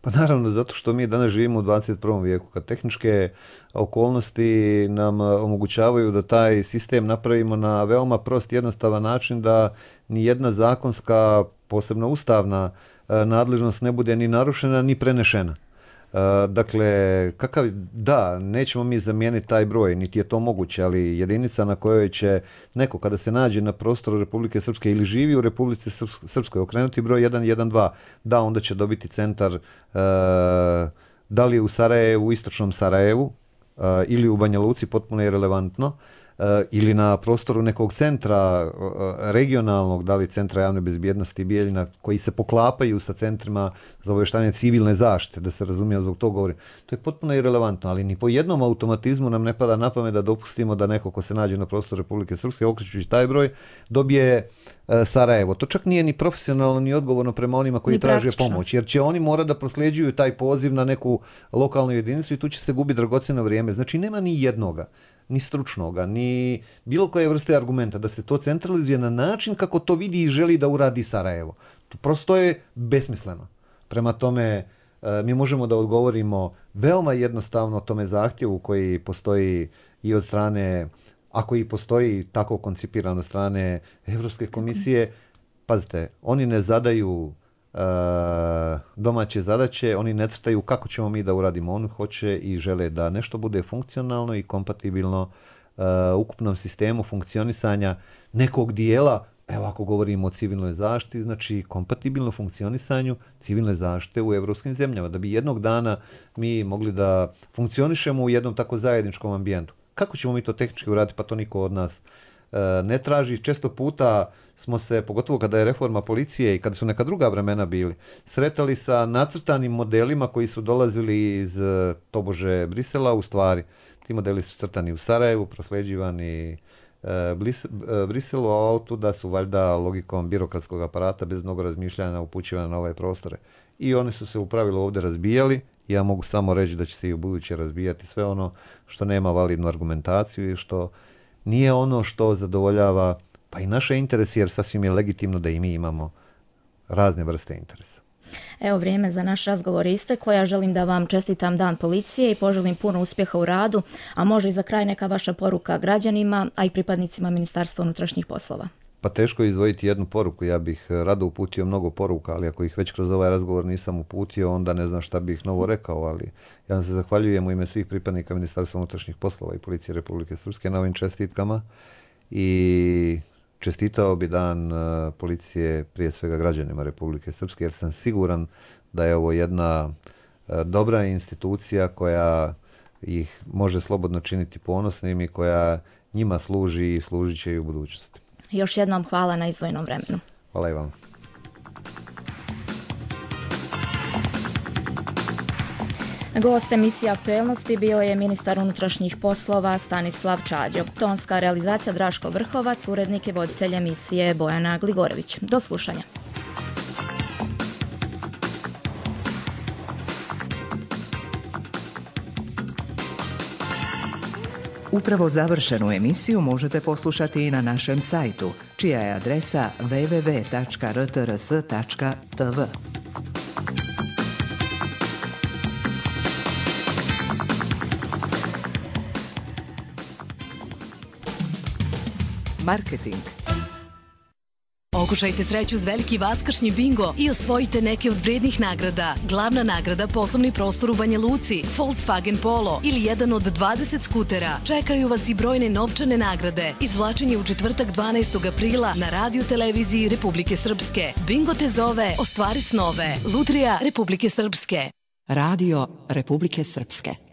Pa naravno, zato što mi danas živimo u dvadeset prvom vijeku, kad tehničke okolnosti nam omogućavaju da taj sistem napravimo na veoma prost, jednostavan način, da ni jedna zakonska, posebno ustavna nadležnost ne bude ni narušena, ni prenešena. Dakle, kakav, da, nećemo mi zamijeniti taj broj, niti je to moguće, ali jedinica na kojoj će neko kada se nađe na prostoru Republike Srpske ili živi u Republici Srpskoj okrenuti broj jedan jedan dva, da, onda će dobiti centar, uh, da li u Sarajevu, u istočnom Sarajevu uh, ili u Banja Luci, potpuno je relevantno, uh, ili na prostoru nekog centra uh, regionalnog, da li centra javne bezbjednosti Bijeljina, koji se poklapaju sa centrima za obavještavanje civilne zaštite, da se razumije, zbog toga govorim. To je potpuno irelevantno, ali ni po jednom automatizmu nam ne pada na pamet da dopustimo da neko ko se nađe na prostoru Republike Srpske, okrećući taj broj, dobije uh, Sarajevo. To čak nije ni profesionalno, ni odgovorno prema onima koji traže pomoć, jer će oni mora da prosljeđuju taj poziv na neku lokalnu jedinicu i tu će se gubiti dragocjeno vrijeme. Znači, nema ni jednoga, ni stručnoga, ni bilo koje vrste argumenta da se to centralizuje na način kako to vidi i želi da uradi Sarajevo. To prosto je besmisleno. Prema tome, mi možemo da odgovorimo veoma jednostavno tome zahtjevu koji postoji i od strane, ako i postoji tako koncipiran od strane Evropske komisije. Pazite, oni ne zadaju Uh, domaće zadaće, oni ne crtaju kako ćemo mi da uradimo. Oni hoće i žele da nešto bude funkcionalno i kompatibilno uh, ukupnom sistemu funkcionisanja nekog dijela. Evo, ako govorimo o civilnoj zaštiti, znači kompatibilno funkcionisanju civilne zaštite u evropskim zemljama, da bi jednog dana mi mogli da funkcionišemo u jednom tako zajedničkom ambijentu. Kako ćemo mi to tehnički uraditi, pa to niko od nas uh, ne traži. Često puta smo se, pogotovo kada je reforma policije i kada su neka druga vremena bili, sretali sa nacrtanim modelima koji su dolazili iz tobože Brisela. U stvari, ti modeli su crtani u Sarajevu, prosleđivani e, Blis, e, Briselu, a otuda su valjda logikom birokratskog aparata bez mnogo razmišljanja upućivane na ove prostore. I oni su se u pravilu ovdje razbijali. Ja mogu samo reći da će se i u buduće razbijati sve ono što nema validnu argumentaciju i što nije ono što zadovoljava pa i naše interese, jer sasvim je legitimno da i mi imamo razne vrste interesa. Evo, vrijeme za naš razgovor isteklo. Ja želim da vam čestitam Dan policije i poželim puno uspjeha u radu, a može i za kraj neka vaša poruka građanima, a i pripadnicima Ministarstva unutrašnjih poslova. Pa teško je izdvojiti jednu poruku. Ja bih rado uputio mnogo poruka, ali ako ih već kroz ovaj razgovor nisam uputio, onda ne znam šta bih novo rekao, ali ja vam se zahvaljujem u ime svih pripadnika Ministarstva unutrašnjih poslova i Policije Republike Srpske na ovim čestitkama i čestitao bi dan policije prije svega građanima Republike Srpske, jer sam siguran da je ovo jedna dobra institucija koja ih može slobodno činiti ponosnim i koja njima služi i služit će i u budućnosti. Još jednom hvala na izdvojenom vremenu. Hvala i vam. Gost emisije Aktuelnosti bio je ministar unutrašnjih poslova Stanislav Čađo. Tonska realizacija Draško Vrhovac, urednik i voditelj emisije Bojana Gligorević. Do slušanja. Upravo završenu emisiju možete poslušati i na našem sajtu, čija je adresa w w w tačka r t r s tačka t v. Marketing. Okušajte sreću uz veliki vaskršnji bingo i osvojite neke od vrednih nagrada. Glavna nagrada poslovni prostor u Banja Luci, Volkswagen Polo ili jedan od dvadeset skutera. Čekaju vas i brojne novčane nagrade. Izvlačenje u četvrtak dvanaestog aprila na radio televiziji Republike Srpske. Bingo te zove, ostvari snove. Lutrija Republike Srpske. Radio Republike Srpske.